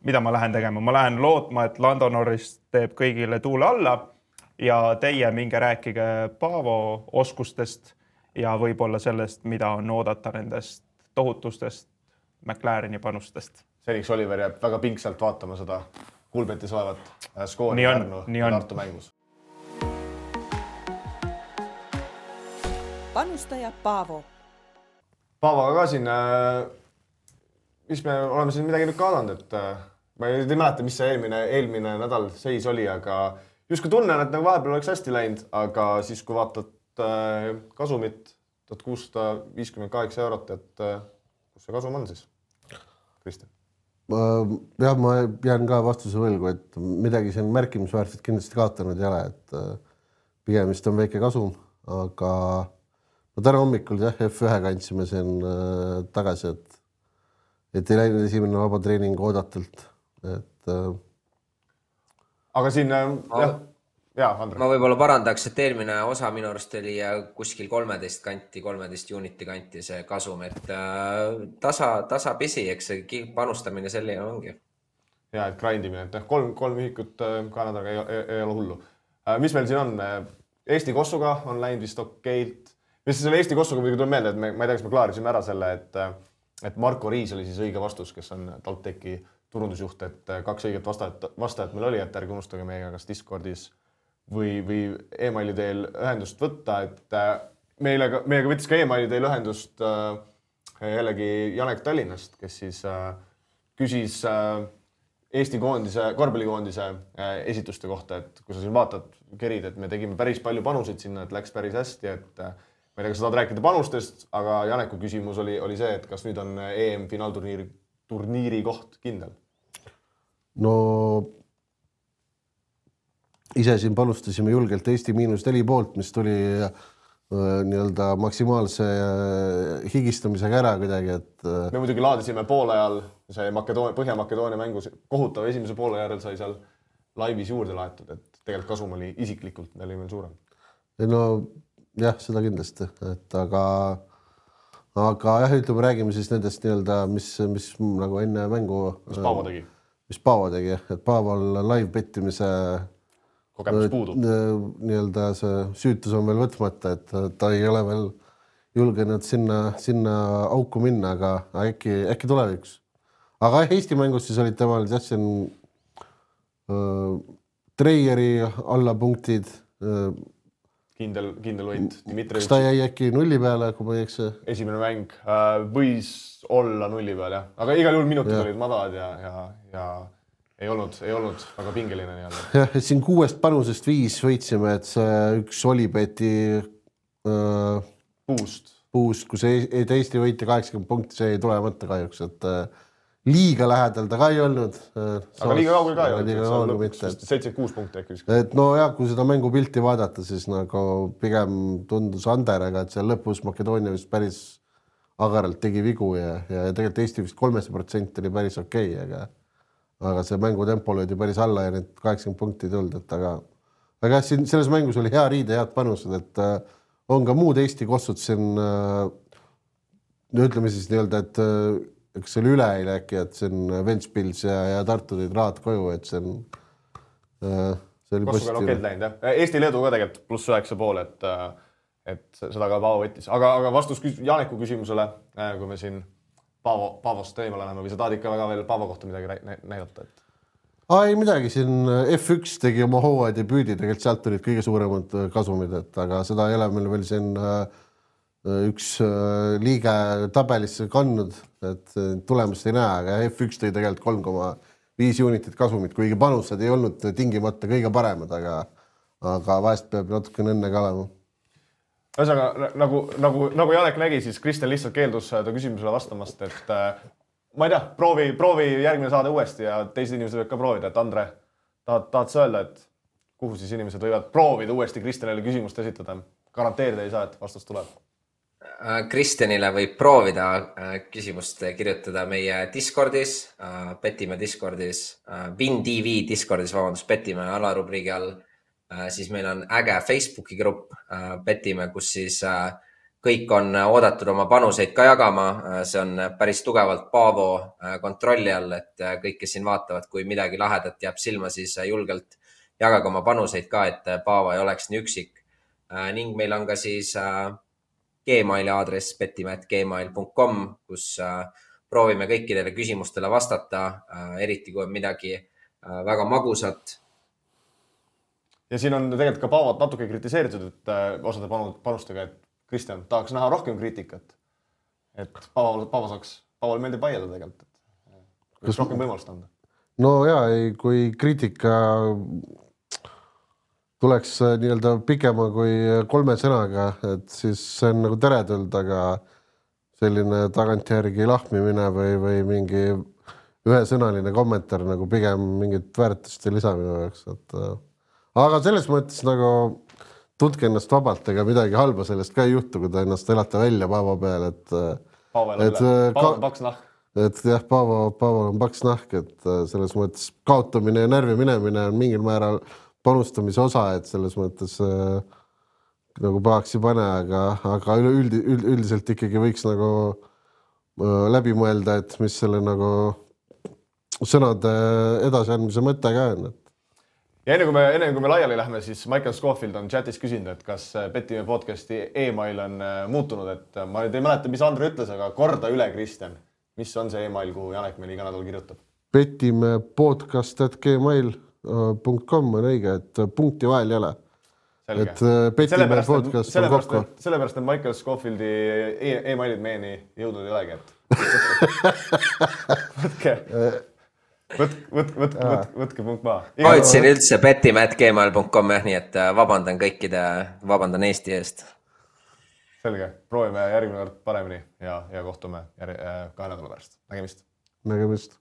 mida ma lähen tegema? Ma lähen lootma, et Lando Norris teeb kõigile tuule alla ja teie minge rääkige Paavo oskustest ja võib-olla sellest, mida on oodata nendest tohutustest McLareni panustest. Seniks Oliver jääb väga pingsalt vaatama seda Kulbetis olevat skoori Pärnu ja Tartu mängus. Panustaja Paavo. Paavoga ka siin, mis me oleme siin midagi nüüd kaadanud, et ma ei mäleta, mis see eelmine, eelmine nädal seis oli, aga justkui tunnen, et nagu vahepeal oleks hästi läinud, aga siis kui vaatad kasumit tuhat kuussada viiskümmend kaheksa eurot, et kus see kasum on siis? Kristjan? Jah, ma jään ka vastuse võlgu, et midagi siin märkimisväärselt kindlasti kaotanud ei ole, et pigem vist on väike kasum, aga no täna hommikul jah, F ühe kandsime siin tagasi, et et ei läinud esimene vaba treening oodatult, et äh... aga siin äh, jah, jah, Andre. Ma võib-olla parandaks, et eelmine osa minu arust oli kuskil kolmeteist kanti, kolmeteist uniti kanti see kasum, et äh, tasa, tasa pisi, eks see panustamine selline ongi. Ja, et grindimine, et kolm, kolm ühikut Kanadaga ei, ei, ei ole hullu. Mis meil siin on? Eesti Kossuga on läinud vist okeilt. Mis selle Eesti Kossuga muidugi tuleb meelde, et me, ma ei tea, kas me klaarisime ära selle, et, et Marko Riis oli siis õige vastus, kes on TalTechi turundusjuht, et kaks õiget vastajat, vastajat meil oli, et ärge unustage meiega kas Discordis või, või e-maili teel ühendust võtta, et meilega, meiega võttis ka e-maili teel ühendust jällegi Janek Tallinnast, kes siis küsis Eesti koondise, korvpallikoondise esituste kohta, et kui sa siin vaatad, kerid, et me tegime päris palju panuseid sinna, et läks päris hästi, et ma ei tea, kas sa tahad rääkida panustest, aga Janeku küsimus oli, oli see, et kas nüüd on E M finaalturniiri turniiri koht kindel? No ise siin panustasime julgelt Eesti miinus neli poolt, mis tuli nii-öelda maksimaalse higistamisega ära kuidagi, et me muidugi laadisime poole ajal see Makedoonia, Põhja-Makedoonia mängus kohutav esimese poole järel sai seal laivis juurde laetud, et tegelikult kasum oli isiklikult, meil oli veel suurem. No jah, seda kindlasti, et aga aga jah, ütleme, räägime siis nendest nii-öelda, mis, mis nagu enne mängu mis Paavo tegi, mis Paavo tegi, et Paaval live pettimise kogemus puudub. Nii-öelda see süütus on veel võtmata, et ta ei ole veel julgenud sinna, sinna auku minna, aga äkki, äkki tuleviks. Aga Eesti mängus siis olid temal siin äh, Treieri alla punktid. Äh, kindel, kindel võit. Kas ta jäi äkki nulli peale, kui ma ei eks? Esimene mäng äh, võis olla nulli peal, jah. Aga igal juhul minutid ja. olid madalad ja, ja, ja ei olnud, ei olnud väga pingeline nii-öelda. Jah, et siin kuuest panusest viis võitsime, et see üks Olibeti äh, puust, puust, kus Eesti võiti kaheksakümmend punkti, see ei tule mõtte kahjuks, et äh, liiga lähedal ta ka ei olnud. Äh, aga liiga kaugel ka ei olnud, seitsekümmend kuus punkti äkki. Et no jah, kui seda mängupilti vaadata, siis nagu pigem tundus Anderega, et seal lõpus Makedoonia vist päris agaralt tegi vigu ja, ja tegelikult Eesti vist kolmekümmend protsenti oli päris okei, aga aga see mängutempo löödi päris alla ja need kaheksakümmend punkti tulnud, et aga aga jah, siin selles mängus oli hea riide, head panused, et äh, on ka muud Eesti kossud siin äh, ütleme siis nii-öelda, et äh, eks see oli üleeile äkki, et see on Ventspils ja, ja Tartu tõid rahad koju, et see on äh, see oli positiivne. Kossuga on okeilt läinud, jah. Eesti-Leedu ka tegelikult pluss üheksa pool, et, et seda ka Paavo võttis. Aga, aga vastus Janeku küsimusele, kui me siin Paavo, Paavost teemale läheme või sa tahad ikka väga veel Paavo kohta midagi näidata? Et... Ah, ei midagi, siin F üks tegi oma hooaja debüüdi, tegelikult sealt olid kõige suuremad kasumid, et aga seda ei ole meil veel siin üks liige tabelisse kandnud, et tulemust ei näe, aga F üks tõi tegelikult kolm koma viis unitit kasumit, kuigi panused ei olnud tingimata kõige paremad, aga, aga vahest peab natuke õnne ka olema. Ühesõnaga, nagu, nagu, nagu Janek nägi, siis Kristjan lihtsalt keeldus ta küsimusele vastamast, et äh, ma ei tea, proovi, proovi järgmine saade uuesti ja teised inimesed võivad ka proovida, et Andre, tahad, tahad sa öelda, et kuhu siis inimesed võivad proovida uuesti Kristjanile küsimust esitada? Garanteerida ei saa, et vastus tuleb. Kristjanile võib proovida küsimust kirjutada meie Discordis, Petime Discordis, WinTV Discordis, vabandust, Petime alarubriigi all. Siis meil on äge Facebooki grupp Petime, kus siis kõik on oodatud oma panuseid ka jagama. See on päris tugevalt Paavo kontrolli all, et kõik, kes siin vaatavad, kui midagi lahedat jääb silma, siis julgelt jagage oma panuseid ka, et Paavo ei oleks nii üksik. Ning meil on ka siis Gmaili aadress petime at gmail punkt com, kus proovime kõikidele küsimustele vastata, eriti kui on midagi väga magusat. Ja siin on tegelikult ka Paavot natuke kritiseeritud, et osade panustega, et Kristjan tahaks näha rohkem kriitikat. Et Paavo, Paavo saaks, Paavol meeldib vaielda tegelikult. Kus rohkem võimalust anda? No jaa, kui kriitika tuleks nii-öelda pikema kui kolme sõnaga, et siis see on nagu teretuld, aga selline tagantjärgi lahmimine või, või mingi ühesõnaline kommentaar nagu pigem mingit väärtust ei lisa minu jaoks, et aga selles mõttes nagu tundke ennast vabalt, ega midagi halba sellest ka ei juhtu, kui ta ennast elata välja Paavo peal, et Paavo elab üle, Paavo paks nahk. et jah, Paavo, Paaval on paks nahk, et selles mõttes kaotamine ja närvi minemine on mingil määral panustamise osa, et selles mõttes äh, nagu pahaks ei pane, aga, aga üldi, üld, üldiselt ikkagi võiks nagu äh, läbi mõelda, et mis selle nagu sõnade edasiandmise mõte ka on. Ja enne kui me, enne kui me laiali lähme, siis Michael Scofield on chatis küsinud, et kas Petimehe podcasti email on muutunud, et ma nüüd ei mäleta, mis Andre ütles, aga korda üle, Kristjan. Mis on see email, kuhu Janek meil iga nädal kirjutab? Petimehe podcast at gmail punkt com on õige, et punkti vahel ei ole. Selge. Et Petimehe podcast on kokku. Sellepärast on Michael Scofieldi emailid meieni jõudnud ei olegi, et võtke... Võtke, võtke, võtke, võtke, võtke punkt maha. Hoidsin üldse petimehe at gmail punkt com, nii et vabandan kõikide, vabandan Eesti eest. Selge, proovime järgmine kord paremini ja, ja kohtume järg, kahe nädala pärast. Nägemist. Nägemist.